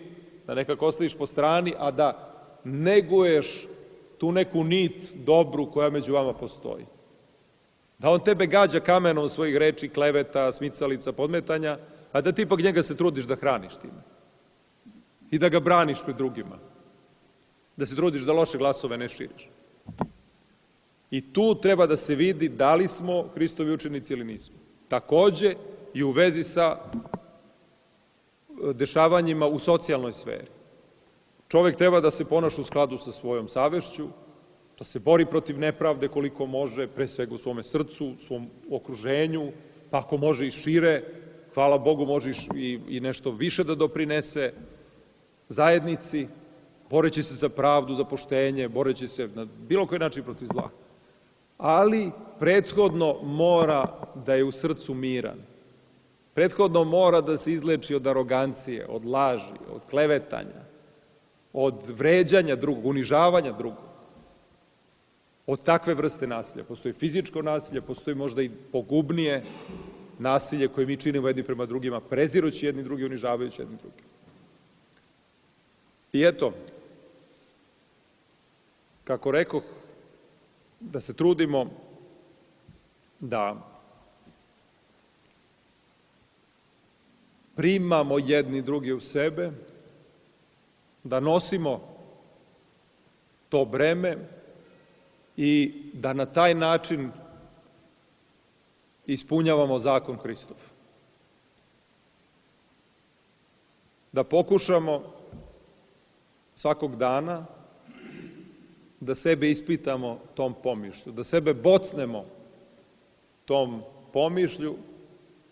da nekako ostaviš po strani, a da neguješ tu neku nit dobru koja među vama postoji. Da on tebe gađa kamenom svojih reči, kleveta, smicalica, podmetanja, a da ti ipak njega se trudiš da hraniš time. I da ga braniš pred drugima. Da se trudiš da loše glasove ne širiš. I tu treba da se vidi da li smo Hristovi učenici ili nismo. Takođe i u vezi sa dešavanjima u socijalnoj sferi. Čovek treba da se ponaša u skladu sa svojom savešću, da se bori protiv nepravde koliko može, pre svega u svome srcu, u svom okruženju, pa ako može i šire, hvala Bogu, može i, i nešto više da doprinese zajednici, boreći se za pravdu, za poštenje, boreći se na bilo koji način protiv zla. Ali prethodno mora da je u srcu miran. Prethodno mora da se izleči od arogancije, od laži, od klevetanja, od vređanja drugog, unižavanja drugog. Od takve vrste nasilja. Postoji fizičko nasilje, postoji možda i pogubnije nasilje koje mi činimo jedni prema drugima, prezirući jedni drugi, unižavajući jedni drugi. I eto, kako rekoh, da se trudimo da primamo jedni drugi u sebe, da nosimo to breme i da na taj način ispunjavamo zakon Hristov. Da pokušamo svakog dana da sebe ispitamo tom pomišlju, da sebe bocnemo tom pomišlju,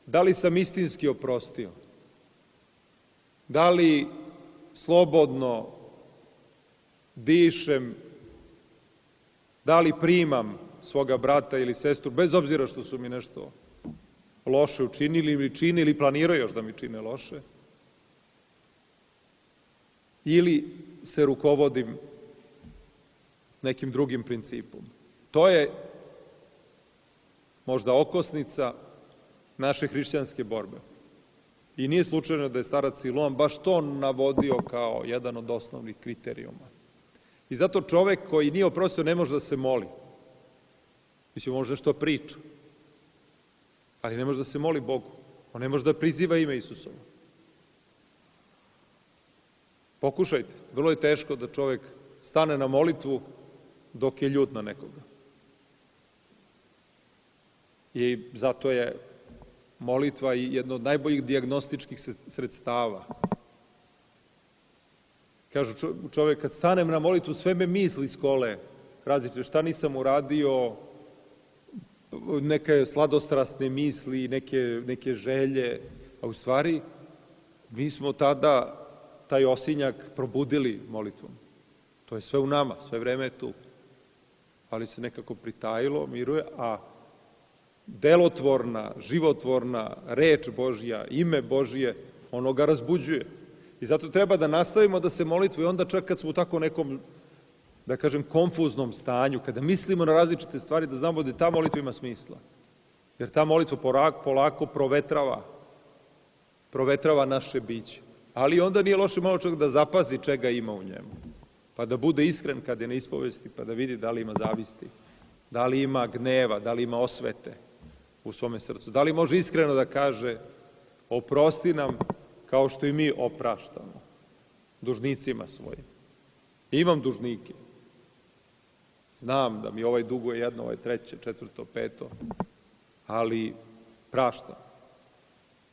da li sam istinski oprostio, da li slobodno dišem, da li primam svoga brata ili sestru, bez obzira što su mi nešto loše učinili ili čini ili planiraju još da mi čine loše, ili se rukovodim nekim drugim principom. To je možda okosnica naše hrišćanske borbe. I nije slučajno da je starac Siluan baš to navodio kao jedan od osnovnih kriterijuma. I zato čovek koji nije oprostio ne može da se moli. Mislim, može nešto priča, ali ne može da se moli Bogu. On ne može da priziva ime Isusovo. Pokušajte. Vrlo je teško da čovek stane na molitvu dok je ljut na nekoga. I zato je molitva i jedno od najboljih dijagnostičkih sredstava. Kažu, čovek, kad stanem na molitvu, sve me misli skole. Različite, šta nisam uradio, neke sladostrasne misli, neke, neke želje. A u stvari, mi smo tada taj osinjak probudili molitvom. To je sve u nama, sve vreme je tu. Ali se nekako pritajilo, miruje, a delotvorna, životvorna reč Božja, ime Božje, ono ga razbuđuje. I zato treba da nastavimo da se molitvu i onda čak kad smo u tako nekom, da kažem, konfuznom stanju, kada mislimo na različite stvari, da znamo da ta molitva ima smisla. Jer ta molitva polako provetrava, provetrava naše biće. Ali onda nije loše malo čovjek da zapazi čega ima u njemu. Pa da bude iskren kad je na ispovesti, pa da vidi da li ima zavisti, da li ima gneva, da li ima osvete u svome srcu. Da li može iskreno da kaže oprosti nam kao što i mi opraštamo dužnicima svojim. Imam dužnike. Znam da mi ovaj duguje jedno, ovaj treće, četvrto, peto, ali praštam.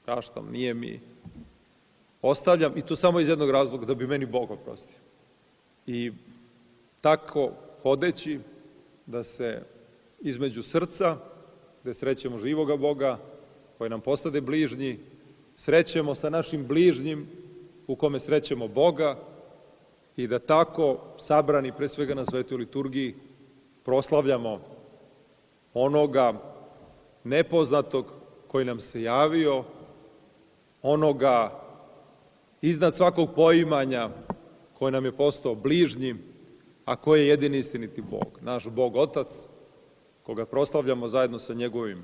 Praštam, nije mi. Ostavljam, i to samo iz jednog razloga, da bi meni Bog oprostio. I tako hodeći da se između srca, gde srećemo živoga Boga, koji nam postade bližnji, srećemo sa našim bližnjim, u kome srećemo Boga, i da tako, sabrani pre svega na svetoj liturgiji, proslavljamo onoga nepoznatog koji nam se javio, onoga iznad svakog poimanja koji nam je postao bližnjim, a koji je jedini istiniti Bog, naš Bog Otac, koga proslavljamo zajedno sa njegovim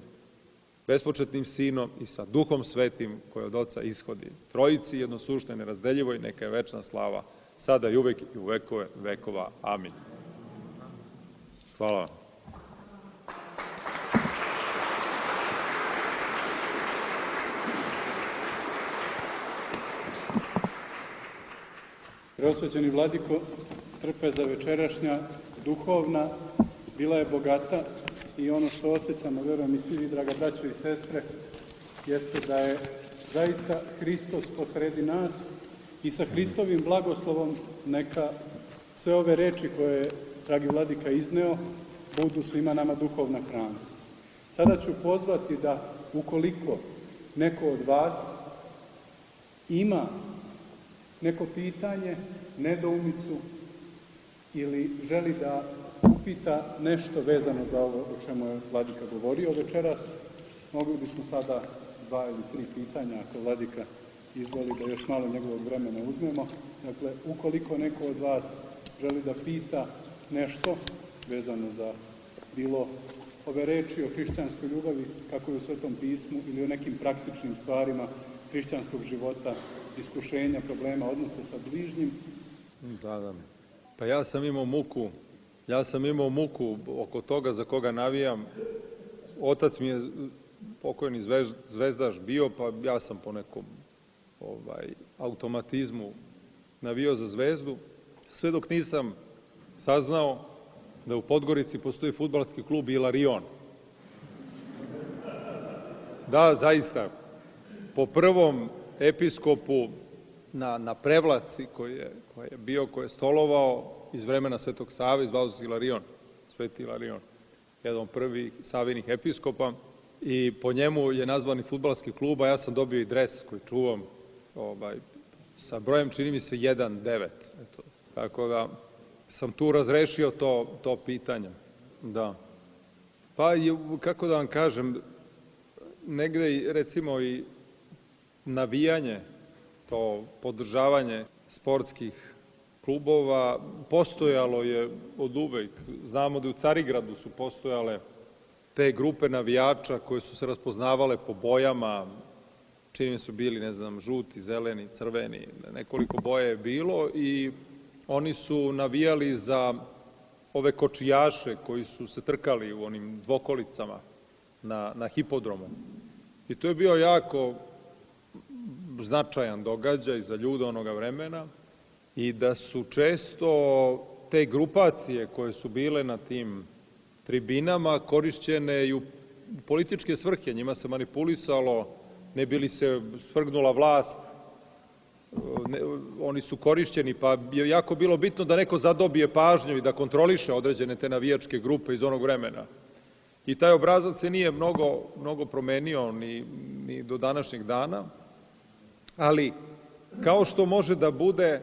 bespočetnim Sinom i sa Duhom Svetim koji od Oca ishodi. Trojici jednosuštoj, nerazdeljivoj, neka je večna slava, sada i uvek i u vekove vekova. Amin. Hvala vam. Preosvećeni vladiko, trpeza večerašnja, duhovna, bila je bogata i ono što osjećamo, verujem i svi vi, draga braćo i sestre, jeste da je zaista Hristos posredi nas i sa Hristovim blagoslovom neka sve ove reči koje je dragi vladika izneo budu svima nama duhovna hrana. Sada ću pozvati da ukoliko neko od vas ima neko pitanje, nedoumicu ili želi da upita nešto vezano za ovo o čemu je vladika govorio večeras, mogli bismo sada dva ili tri pitanja, ako vladika izvoli da još malo njegovog vremena uzmemo. Dakle, ukoliko neko od vas želi da pita nešto vezano za bilo ove reči o hrišćanskoj ljubavi, kako je u Svetom pismu, ili o nekim praktičnim stvarima hrišćanskog života, iskušenja, problema, odnosa sa bližnjim. Da, da. Pa ja sam imao muku, ja sam imao muku oko toga za koga navijam. Otac mi je pokojni zvezdaš bio, pa ja sam po nekom ovaj, automatizmu navio za Zvezdu, sve dok nisam saznao da u Podgorici postoji fudbalski klub Ilarion. Da, zaista, po prvom episkopu na, na Prevlaci koji je, koji je bio, koji je stolovao iz vremena Svetog Save, zvao se Ilarion, Sveti Ilarion, jedan od prvih savinih episkopa, i po njemu je nazvani fudbalski klub, a ja sam dobio i dres koji čuvam, ovaj, sa brojem, čini mi se, jedan devet. Eto, tako da sam tu razrešio to, to pitanje. Da. Pa, kako da vam kažem, negde, recimo, i navijanje, to podržavanje sportskih klubova postojalo je od uvek. Znamo da u Carigradu su postojale te grupe navijača koje su se raspoznavale po bojama, čini su bili, ne znam, žuti, zeleni, crveni, nekoliko boja je bilo, i oni su navijali za ove kočijaše koji su se trkali u onim dvokolicama na, na hipodromu. I to je bio jako značajan događaj za ljude onoga vremena, i da su često te grupacije koje su bile na tim tribinama korišćene i u političke svrhe, njima se manipulisalo, ne bi li se svrgnula vlast, ne, oni su korišćeni, pa je jako bilo bitno da neko zadobije pažnju i da kontroliše određene te navijačke grupe iz onog vremena. I taj obrazac se nije mnogo, mnogo promenio ni, ni do današnjeg dana, ali kao što može da bude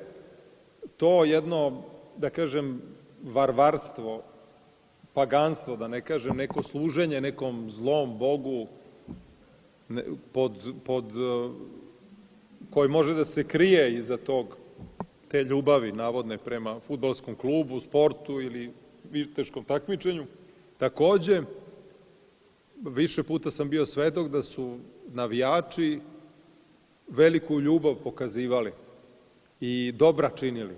to jedno, da kažem, varvarstvo, paganstvo, da ne kažem, neko služenje nekom zlom Bogu pod, pod, koji može da se krije iza tog, te ljubavi navodne prema fudbalskom klubu, sportu ili viteškom takmičenju. Takođe, više puta sam bio svedok da su navijači veliku ljubav pokazivali i dobra činili.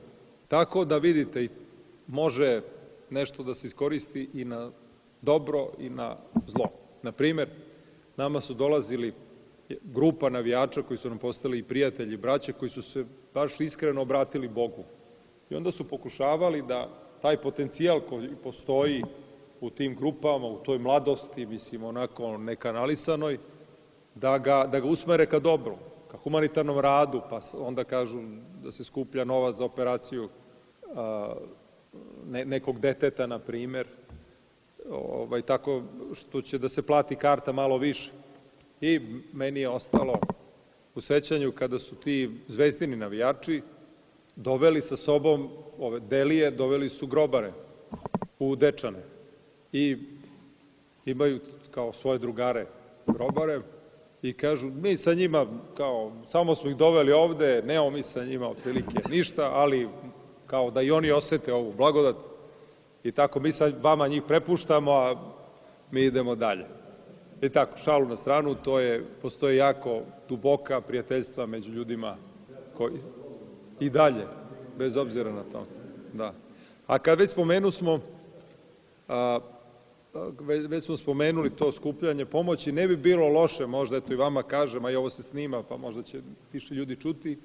Tako da vidite, može nešto da se iskoristi i na dobro i na zlo. Na primer, nama su dolazili grupa navijača koji su nam postali i prijatelji, braće, koji su se baš iskreno obratili Bogu. I onda su pokušavali da taj potencijal koji postoji u tim grupama, u toj mladosti, mislim, onako nekanalisanoj, da ga, da ga usmere ka dobru, ka humanitarnom radu, pa onda kažu da se skuplja novac za operaciju a, ne, nekog deteta, na primer, ovaj, tako što će da se plati karta malo više. I meni je ostalo u sećanju kada su ti zvezdini navijači doveli sa sobom ove delije, doveli su grobare u Dečane i imaju kao svoje drugare grobare i kažu, mi sa njima, kao, samo smo ih doveli ovde, nemamo mi sa njima otprilike ništa, ali kao da i oni osete ovu blagodat i tako mi sa vama njih prepuštamo, a mi idemo dalje. I tako, šalu na stranu, to je, postoje jako duboka prijateljstva među ljudima koji i dalje, bez obzira na to. Da. A kad već spomenu smo, a, već smo spomenuli to skupljanje pomoći, ne bi bilo loše, možda eto i vama kažem, a i ovo se snima, pa možda će više ljudi čuti,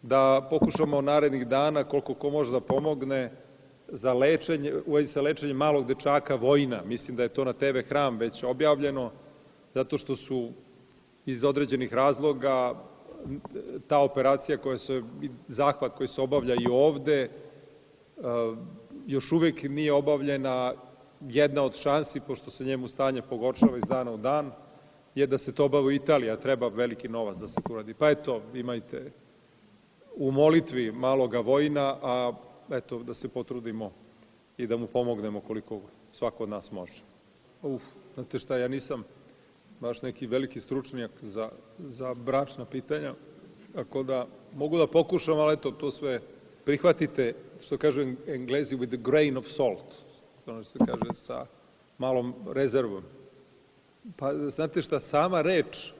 da pokušamo narednih dana, koliko ko može da pomogne, za lečenje, u vezi sa lečenjem malog dečaka Vojina. Mislim da je to na te ve Hram već objavljeno, zato što su iz određenih razloga ta operacija koja se, zahvat koji se obavlja i ovde, još uvek nije obavljena. Jedna od šansi, pošto se njemu stanje pogoršava iz dana u dan, je da se to obavi u Italiji, a treba veliki novac da se to uradi. Pa eto, imajte u molitvi maloga Vojina, a eto, da se potrudimo i da mu pomognemo koliko svako od nas može. Uf, znate šta, ja nisam baš neki veliki stručnjak za, za bračna pitanja, tako da mogu da pokušam, ali eto, to sve prihvatite, što kažu Englezi, with a grain of salt, ono što se kaže sa malom rezervom. Pa, znate šta, sama reč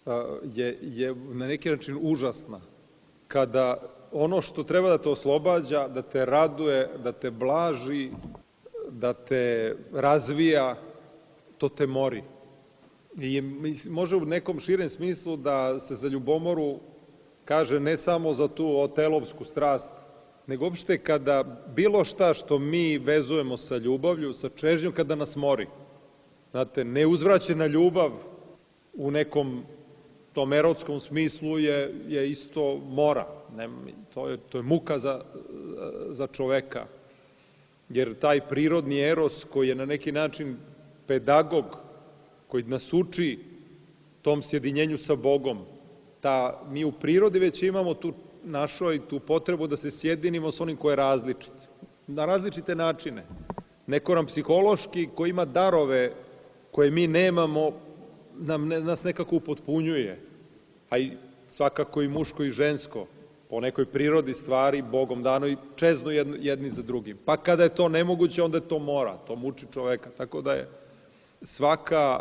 a, je, je na neki način užasna. Kada ono što treba da te oslobađa, da te raduje, da te blaži, da te razvija, to te mori. I može u nekom širem smislu da se za ljubomoru kaže ne samo za tu otelovsku strast, nego uopšte kada bilo šta što mi vezujemo sa ljubavlju, sa čežnjom, kada nas mori. Znate, neuzvraćena ljubav u nekom tom erotskom smislu je, je isto mora. Ne, to, je, to je muka za, za čoveka. Jer taj prirodni eros koji je na neki način pedagog, koji nas uči tom sjedinjenju sa Bogom, ta, mi u prirodi već imamo tu našoj tu potrebu da se sjedinimo s onim ko je različit. Na različite načine. Neko nam psihološki, koji ima darove koje mi nemamo, nam, ne, nas nekako upotpunjuje. A i svakako i muško i žensko, po nekoj prirodi stvari, Bogom dano, i čeznu jedni za drugim. Pa kada je to nemoguće, onda je to mora, to muči čoveka. Tako da je svaka,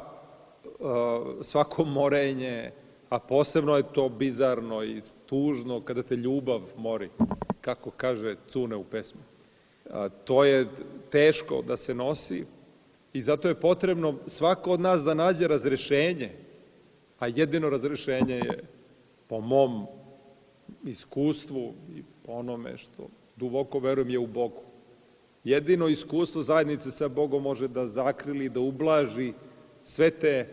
svako morenje, a posebno je to bizarno i tužno kada te ljubav mori, kako kaže Cune u pesmi. To je teško da se nosi i zato je potrebno svako od nas da nađe razrešenje, a jedino razrešenje je, po mom iskustvu i po onome što duboko verujem, je u Bogu. Jedino iskustvo zajednice sa Bogom može da zakrili, da ublaži sve te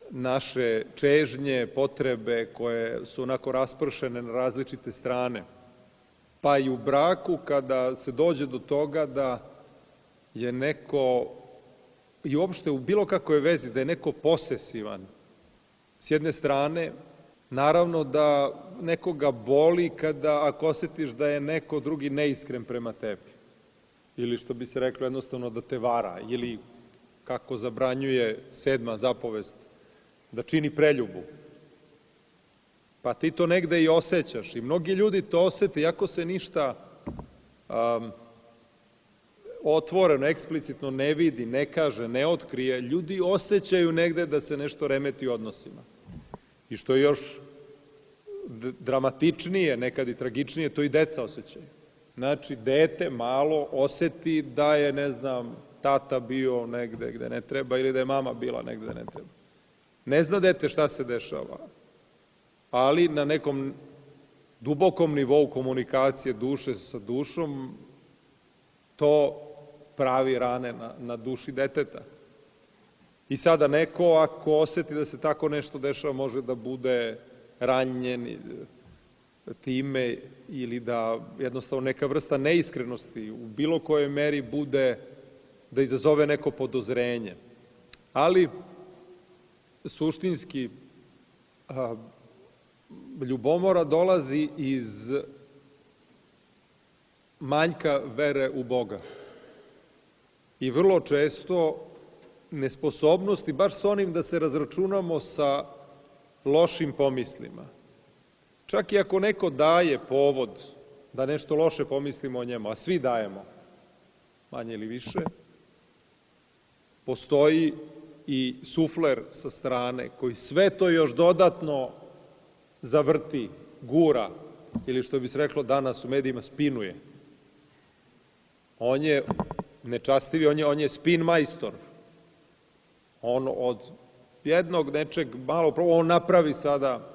naše čežnje, potrebe koje su onako raspršene na različite strane. Pa i u braku, kada se dođe do toga da je neko, i uopšte u bilo kakvoj vezi, da je neko posesivan, s jedne strane, naravno da nekoga boli kada, ako osjetiš da je neko drugi neiskren prema tebi. Ili što bi se reklo jednostavno da te vara, ili kako zabranjuje sedma zapovest, da čini preljubu. Pa ti to negde i osjećaš i mnogi ljudi to osjete, iako se ništa um, otvoreno, eksplicitno ne vidi, ne kaže, ne otkrije, ljudi osjećaju negde da se nešto remeti u odnosima. I što je još dramatičnije, nekad i tragičnije, to i deca osjećaju. Znači, dete malo oseti da je, ne znam, tata bio negde gde ne treba ili da je mama bila negde gde ne treba. Ne zna dete šta se dešava, ali na nekom dubokom nivou komunikacije duše sa dušom to pravi rane na, na duši deteta. I sada neko, ako oseti da se tako nešto dešava, može da bude ranjen time ili da jednostavno neka vrsta neiskrenosti u bilo kojoj meri bude da izazove neko podozrenje. Ali suštinski a, ljubomora dolazi iz manjka vere u Boga. I vrlo često nesposobnosti, baš s onim da se razračunamo sa lošim pomislima. Čak i ako neko daje povod da nešto loše pomislimo o njemu, a svi dajemo, manje ili više, postoji i sufler sa strane koji sve to još dodatno zavrti, gura, ili što bi se reklo danas u medijima, spinuje. On je nečastivi, on je, on je spin majstor. On od jednog nečeg malo, on napravi sada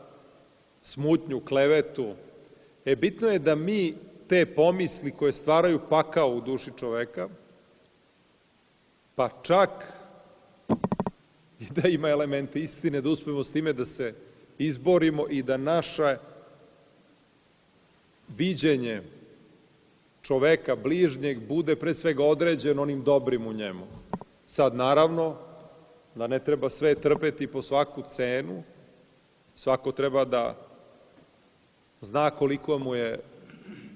smutnju, klevetu. E, bitno je da mi te pomisli koje stvaraju pakao u duši čoveka, pa čak i da ima elemente istine, da uspemo s time da se izborimo i da naše viđenje čoveka bližnjeg bude pre svega određeno onim dobrim u njemu. Sad, naravno, da ne treba sve trpeti po svaku cenu, svako treba da zna koliko mu je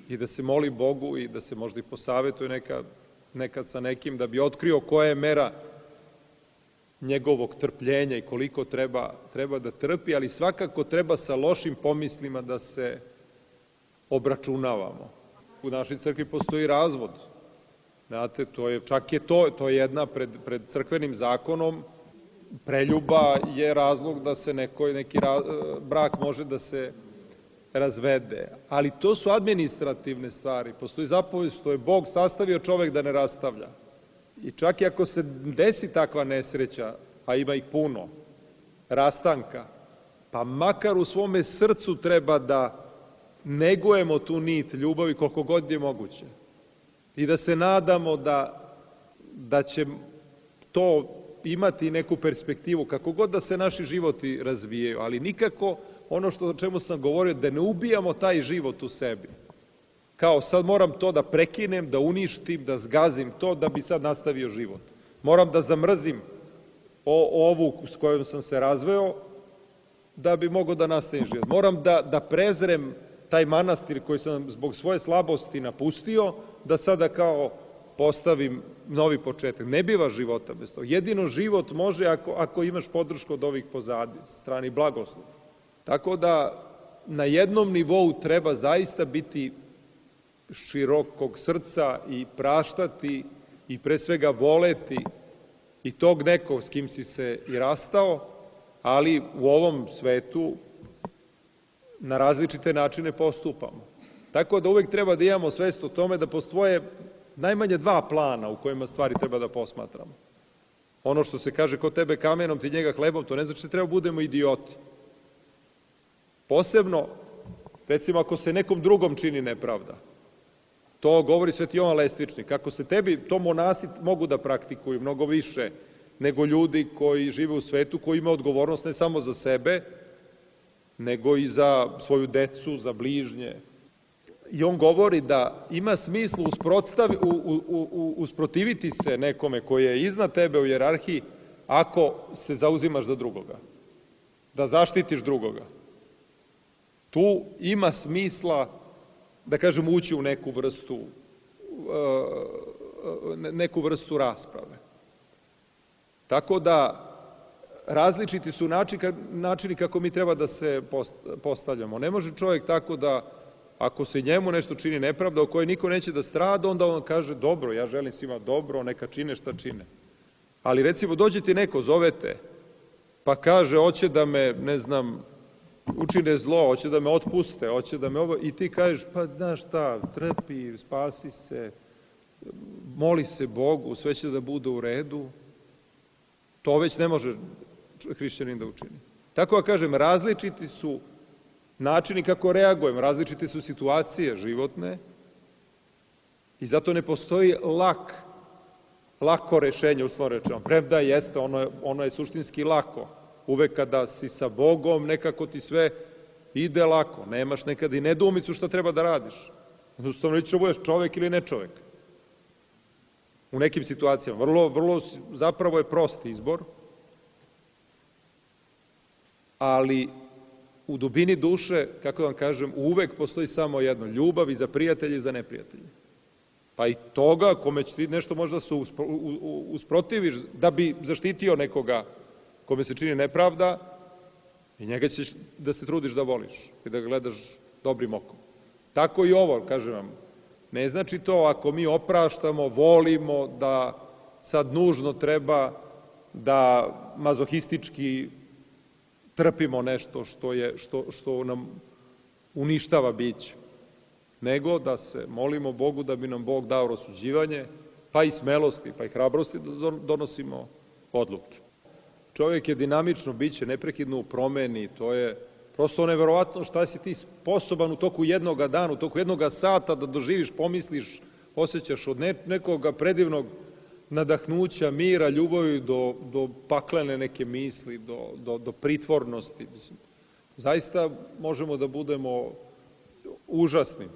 i da se moli Bogu i da se možda i posavetuje nekad, nekad sa nekim da bi otkrio koja je mera njegovog trpljenja i koliko treba, treba da trpi, ali svakako treba sa lošim pomislima da se obračunavamo. U našoj crkvi postoji razvod. Znate, to je, čak je to, to je jedna pred, pred crkvenim zakonom, preljuba je razlog da se neko, neki ra, brak može da se razvede. Ali to su administrativne stvari. Postoji zapovest što je Bog sastavio čovek da ne rastavlja. I čak i ako se desi takva nesreća, a ima ih puno, rastanka, pa makar u svome srcu treba da negujemo tu nit ljubavi koliko god je moguće. I da se nadamo da, da će to imati neku perspektivu, kako god da se naši životi razvijaju, ali nikako ono što, o čemu sam govorio, da ne ubijamo taj život u sebi. Kao sad moram to da prekinem, da uništim, da zgazim to, da bi sad nastavio život. Moram da zamrzim o, ovu s kojom sam se razveo, da bi mogao da nastavim život. Moram da, da prezrem taj manastir koji sam zbog svoje slabosti napustio, da sada kao postavim novi početak. Ne biva života bez toga. Jedino život može ako, ako imaš podršku od ovih pozadi, strani blagoslov. Tako da na jednom nivou treba zaista biti širokog srca i praštati i pre svega voleti i tog nekog s kim si se i rastao, ali u ovom svetu na različite načine postupamo. Tako da uvek treba da imamo svest o tome da postoje najmanje dva plana u kojima stvari treba da posmatramo. Ono što se kaže ko tebe kamenom, ti njega hlebom, to ne znači da treba budemo idioti. Posebno, recimo, ako se nekom drugom čini nepravda. To govori Sveti Jovan Lestvičnik. Kako se tebi, to monasi mogu da praktikuju mnogo više nego ljudi koji žive u svetu, koji imaju odgovornost ne samo za sebe, nego i za svoju decu, za bližnje. I on govori da ima smisla u, u, u, usprotiviti se nekome koji je iznad tebe u hijerarhiji ako se zauzimaš za drugoga. Da zaštitiš drugoga. Tu ima smisla, da kažem, ući u neku vrstu, neku vrstu rasprave. Tako da različiti su načini kako mi treba da se postavljamo. Ne može čovjek tako da, ako se njemu nešto čini nepravda, o kojoj niko neće da strada, onda on kaže, dobro, ja želim svima dobro, neka čine šta čine. Ali recimo, dođe ti neko, zovete, pa kaže, hoće da me, ne znam, učine zlo, hoće da me otpuste, hoće da me ovo, i ti kažeš, pa znaš šta, trpi, spasi se, moli se Bogu, sve će da bude u redu. To već ne može hrišćanin da učini. Tako da kažem, različiti su načini kako reagujemo, različite su situacije životne i zato ne postoji lak, lako rešenje, uslovno rečeno. Premda jeste, ono je, ono je suštinski lako. Uvek kada si sa Bogom, nekako ti sve ide lako. Nemaš nekada i nedoumicu šta treba da radiš. Jednostavno li ćeš budeš čovek ili ne čovek. U nekim situacijama. Vrlo, vrlo, zapravo je prost izbor, ali u dubini duše, kako da vam kažem, uvek postoji samo jedno, ljubav i za prijatelje i za neprijatelje. Pa i toga, kome će ti nešto možda se usprotiviš, da bi zaštitio nekoga kome se čini nepravda, i njega ćeš da se trudiš da voliš i da ga gledaš dobrim okom. Tako i ovo, kažem vam, ne znači to ako mi opraštamo, volimo, da sad nužno treba da mazohistički trpimo nešto što, je, što, što nam uništava biće, nego da se molimo Bogu da bi nam Bog dao rasuđivanje, pa i smelosti, pa i hrabrosti da donosimo odluke. Čovjek je dinamično biće, neprekidno u promeni, to je prosto neverovatno šta si ti sposoban u toku jednoga dana, u toku jednoga sata da doživiš, pomisliš, osjećaš od nekoga predivnog nadahnuća, mira, ljubavi do, do paklene neke misli, do, do, do pritvornosti. Zaista možemo da budemo užasni.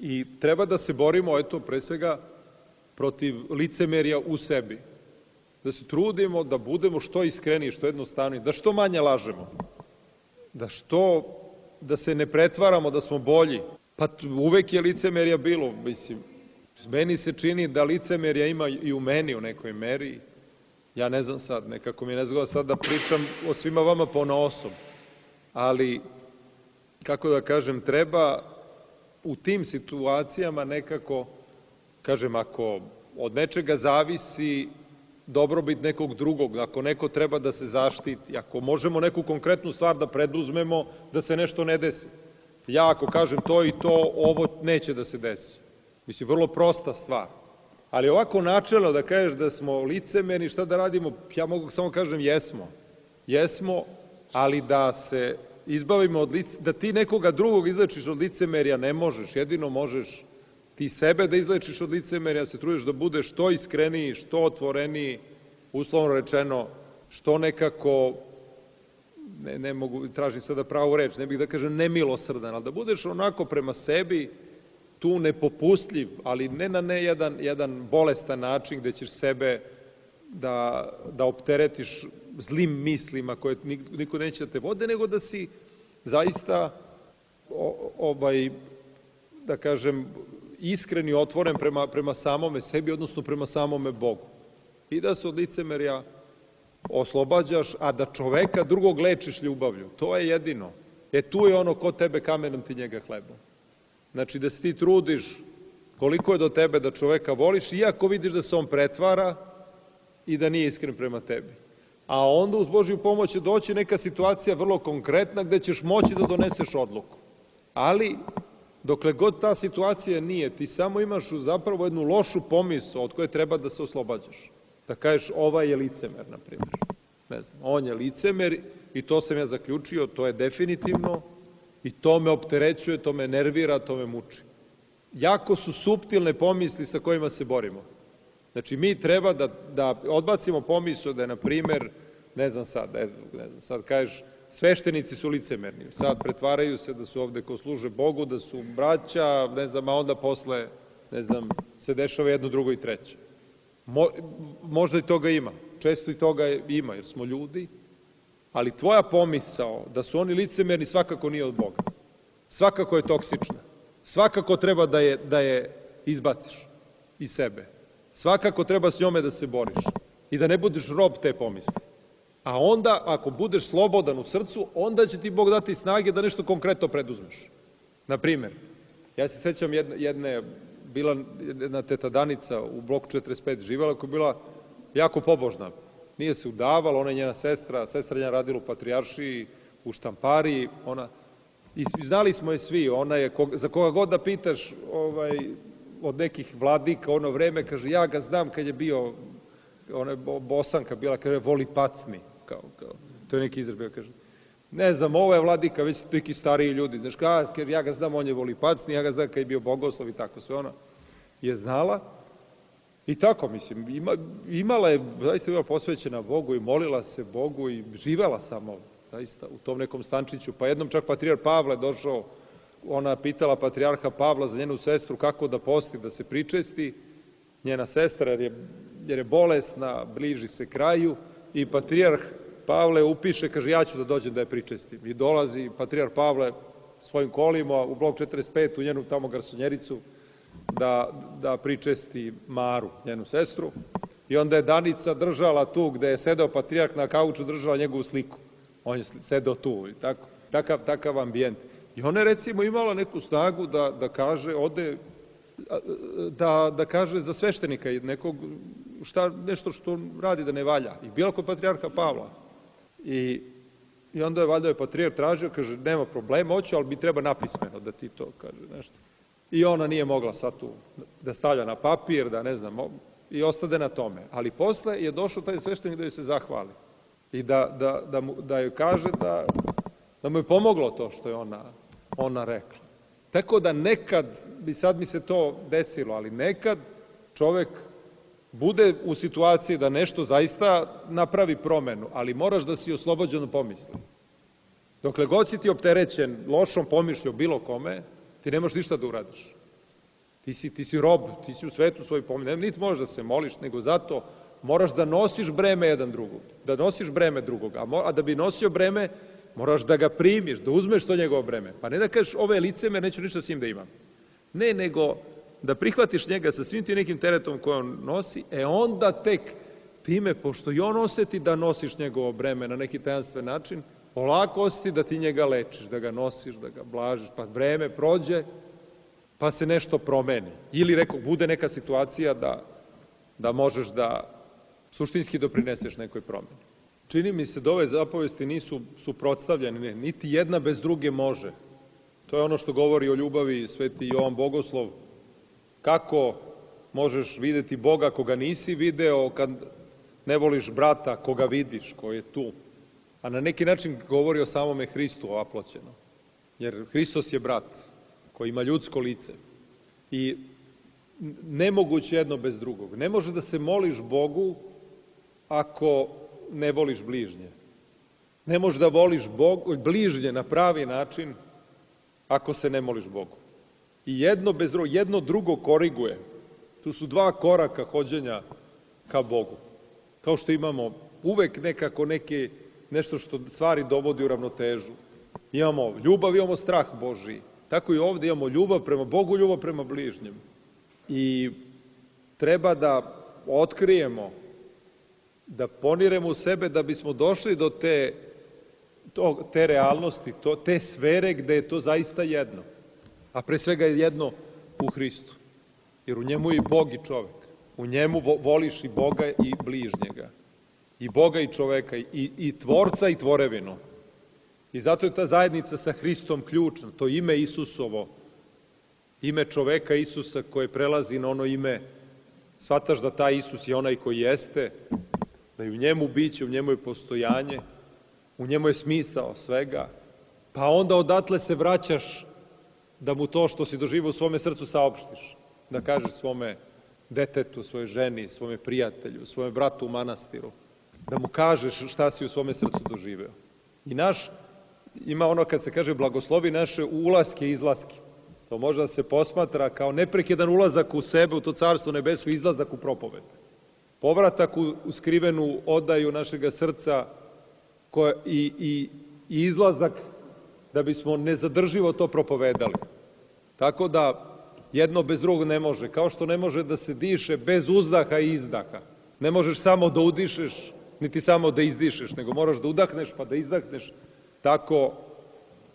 I treba da se borimo, eto, pre svega, protiv licemerja u sebi. Da se trudimo da budemo što iskreniji, što jednostavniji, da što manje lažemo. Da što, da se ne pretvaramo da smo bolji. Pa uvek je licemerja bilo, mislim. Meni se čini da licemerja ima i u meni u nekoj meri. Ja ne znam sad, nekako mi ne zgleda sad da pričam o svima vama ponaosob. Ali, kako da kažem, treba u tim situacijama nekako, kažem, ako od nečega zavisi dobrobit nekog drugog, ako neko treba da se zaštiti, ako možemo neku konkretnu stvar da preduzmemo, da se nešto ne desi. Ja ako kažem to i to, ovo neće da se desi. Mislim, vrlo prosta stvar. Ali ovako načelno da kažeš da smo licemerni, šta da radimo, ja mogu samo kažem jesmo. Jesmo, ali da se izbavimo od licemerja, da ti nekoga drugog izlečiš od licemerja ne možeš, jedino možeš ti sebe da izlečiš od licemerja, se trudiš da budeš što iskreniji, što otvoreniji, uslovno rečeno, što nekako, ne, ne mogu, tražim sada pravu reč, ne bih da kažem nemilosrdan, ali da budeš onako prema sebi, tu nepopustljiv, ali ne na ne jedan, jedan bolestan način gde ćeš sebe da, da opteretiš zlim mislima koje niko neće da te vode, nego da si zaista o, ovaj, da kažem, iskren i otvoren prema, prema samome sebi, odnosno prema samome Bogu. I da se od licemerja oslobađaš, a da čoveka drugog lečiš ljubavlju. To je jedino. E tu je ono ko tebe kamenom, ti njega hlebom. Znači da se ti trudiš koliko je do tebe da čoveka voliš, iako vidiš da se on pretvara i da nije iskren prema tebi. A onda uz Božju pomoć će doći neka situacija vrlo konkretna gde ćeš moći da doneseš odluku. Ali, dokle god ta situacija nije, ti samo imaš zapravo jednu lošu pomisao od koje treba da se oslobađaš. Da kažeš, ovaj je licemer, na primjer. Ne znam, on je licemer i to sam ja zaključio, to je definitivno i to me opterećuje, to me nervira, to me muči. Jako su suptilne pomisli sa kojima se borimo. Znači, mi treba da, da odbacimo pomisao da je, na primjer, ne znam sad, ne znam, ne znam, sad kažeš, sveštenici su licemerni, sad pretvaraju se da su ovde ko služe Bogu, da su braća, ne znam, a onda posle, ne znam, se dešava jedno, drugo i treće. Mo, možda i toga ima, često i toga ima, jer smo ljudi, ali tvoja pomisao da su oni licemerni svakako nije od Boga. Svakako je toksična. Svakako treba da je, da je izbaciš iz sebe. Svakako treba s njome da se boriš i da ne budeš rob te pomisli. A onda, ako budeš slobodan u srcu, onda će ti Bog dati snage da nešto konkretno preduzmeš. Naprimer, ja se sećam jedne, jedne bila jedna teta Danica u bloku četrdeset pet živela, koja je bila jako pobožna. Nije se udavala, ona je njena sestra, sestra njena radila u Patrijaršiji, u štampariji, ona, i znali smo je svi, ona je, za koga god da pitaš, ovaj, od nekih vladika, ono vreme, kaže, ja ga znam kad je bio, ona je Bosanka bila, kaže, voli pacni, kao, kao, to je neki izraz, kaže, ne znam, ovo je vladika, već neki stariji ljudi, znaš, kao, ja ga znam, on je volipacni, ja ga znam kad je bio bogoslov i tako, sve ona je znala. I tako, mislim, ima, imala je, zaista bila posvećena Bogu i molila se Bogu i živela samo, zaista, u tom nekom stančiću. Pa jednom čak patrijar Pavle došao, ona pitala patrijarha Pavla za njenu sestru kako da posti, da se pričesti, njena sestra, jer je, jer je bolesna, bliži se kraju, i patrijarh Pavle upiše, kaže, ja ću da dođem da je pričestim. I dolazi patrijarh Pavle svojim kolima u blok četrdeset pet, u njenu tamo garsonjericu, da, da pričesti Maru, njenu sestru. I onda je Danica držala tu gde je sedeo patrijarh na kauču, držala njegovu sliku. On je sedeo tu i tako, takav, takav ambijent. I ona je recimo imala neku snagu da, da kaže, ode, da, da kaže za sveštenika nekog, šta, nešto što radi da ne valja. I bila kod patrijarha Pavla. I, i onda je valjda je patrijarh tražio, kaže, nema problema, hoću, ali mi treba napismeno da ti to kaže nešto. I ona nije mogla sad tu da stavlja na papir, da ne znam, i ostade na tome. Ali posle je došao taj sveštenik da joj se zahvali. I da, da, da, mu, da joj kaže da, da mu je pomoglo to što je ona, ona rekla. Tako da nekad, i sad mi se to desilo, ali nekad čovek bude u situaciji da nešto zaista napravi promenu, ali moraš da si oslobođen pomisli. Dokle god si ti opterećen lošom pomišljom bilo kome, ti ne možeš ništa da uradiš. Ti si, ti si rob, ti si u svetu svoj pomisli. Niti možeš da se moliš, nego zato moraš da nosiš breme jedan drugog. Da nosiš breme drugog. A, mo, a da bi nosio breme, moraš da ga primiš, da uzmeš to njegovo breme. Pa ne da kažeš, ove liceme, neću ništa s njim da imam. Ne, nego da prihvatiš njega sa svim ti nekim teretom koje on nosi, e onda tek time, pošto i on oseti da nosiš njegovo breme na neki tajanstven način, polako osjeti da ti njega lečiš, da ga nosiš, da ga blažiš, pa vreme prođe, pa se nešto promeni. Ili, rekao, bude neka situacija da, da možeš da suštinski doprineseš nekoj promeni. Čini mi se da ove zapovesti nisu suprotstavljene, niti jedna bez druge može. To je ono što govori o ljubavi sveti Jovan Bogoslov. Kako možeš videti Boga koga nisi video kad ne voliš brata koga vidiš, koji je tu. A na neki način govori o samome Hristu aploćeno. Jer Hristos je brat koji ima ljudsko lice. I nemoguće jedno bez drugog. Ne može da se moliš Bogu ako ne voliš bližnje. Ne možeš da voliš Bog, bližnje na pravi način ako se ne moliš Bogu. I jedno bez drugog, jedno drugo koriguje. Tu su dva koraka hođenja ka Bogu. Kao što imamo uvek nekako neke, nešto što stvari dovodi u ravnotežu. Imamo ljubav, imamo strah Božiji. Tako i ovde imamo ljubav prema Bogu, ljubav prema bližnjem. I treba da otkrijemo, da poniremo u sebe da bismo došli do te, to, te realnosti, to, te sfere gde je to zaista jedno. A pre svega je jedno u Hristu. Jer u njemu je i Bog i čovek. U njemu voliš i Boga i bližnjega. I Boga i čoveka, i, i tvorca i tvorevinu. I zato je ta zajednica sa Hristom ključna. To ime Isusovo, ime čoveka Isusa koje prelazi na ono ime, shvataš da taj Isus je onaj koji jeste, da je u njemu biće, u njemu je postojanje, u njemu je smisao svega, pa onda odatle se vraćaš da mu to što si doživio u svome srcu saopštiš, da kažeš svome detetu, svojoj ženi, svome prijatelju, svome bratu u manastiru, da mu kažeš šta si u svome srcu doživeo. I naš, ima ono kad se kaže blagoslovi naše ulaske i izlaske. To može da se posmatra kao neprekidan ulazak u sebe, u to carstvo nebesko, izlazak u propoved. Povratak u, u skrivenu odaju našega srca koja, i, i, i izlazak da bismo nezadrživo to propovedali. Tako da jedno bez drugog ne može. Kao što ne može da se diše bez uzdaha i izdaha. Ne možeš samo da udišeš, niti samo da izdišeš, nego moraš da udahneš pa da izdahneš. Tako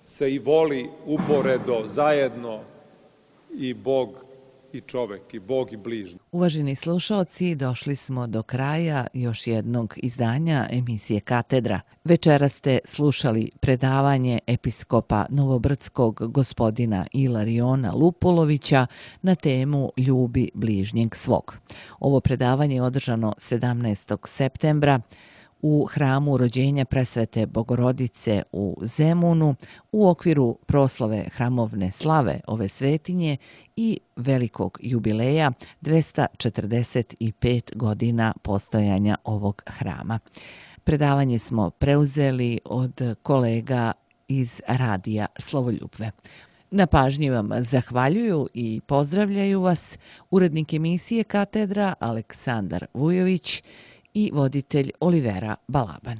se i voli uporedo, zajedno i Bog i čovek, i Bog i bližnji. Uvaženi slušaoci, došli smo do kraja još jednog izdanja emisije Katedra. Večera ste slušali predavanje episkopa Novobrdskog gospodina Ilariona Lupulovića na temu Ljubi bližnjeg svog. Ovo predavanje je održano sedamnaestog septembra u hramu rođenja presvete Bogorodice u Zemunu u okviru proslave hramovne slave ove svetinje i velikog jubileja dvesta četrdeset pet godina postojanja ovog hrama. Predavanje smo preuzeli od kolega iz radija Slovoljubve. Na pažnji vam zahvaljuju i pozdravljaju vas urednik emisije Katedra Aleksandar Vujović i voditelj Olivera Balaban.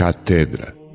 Katedra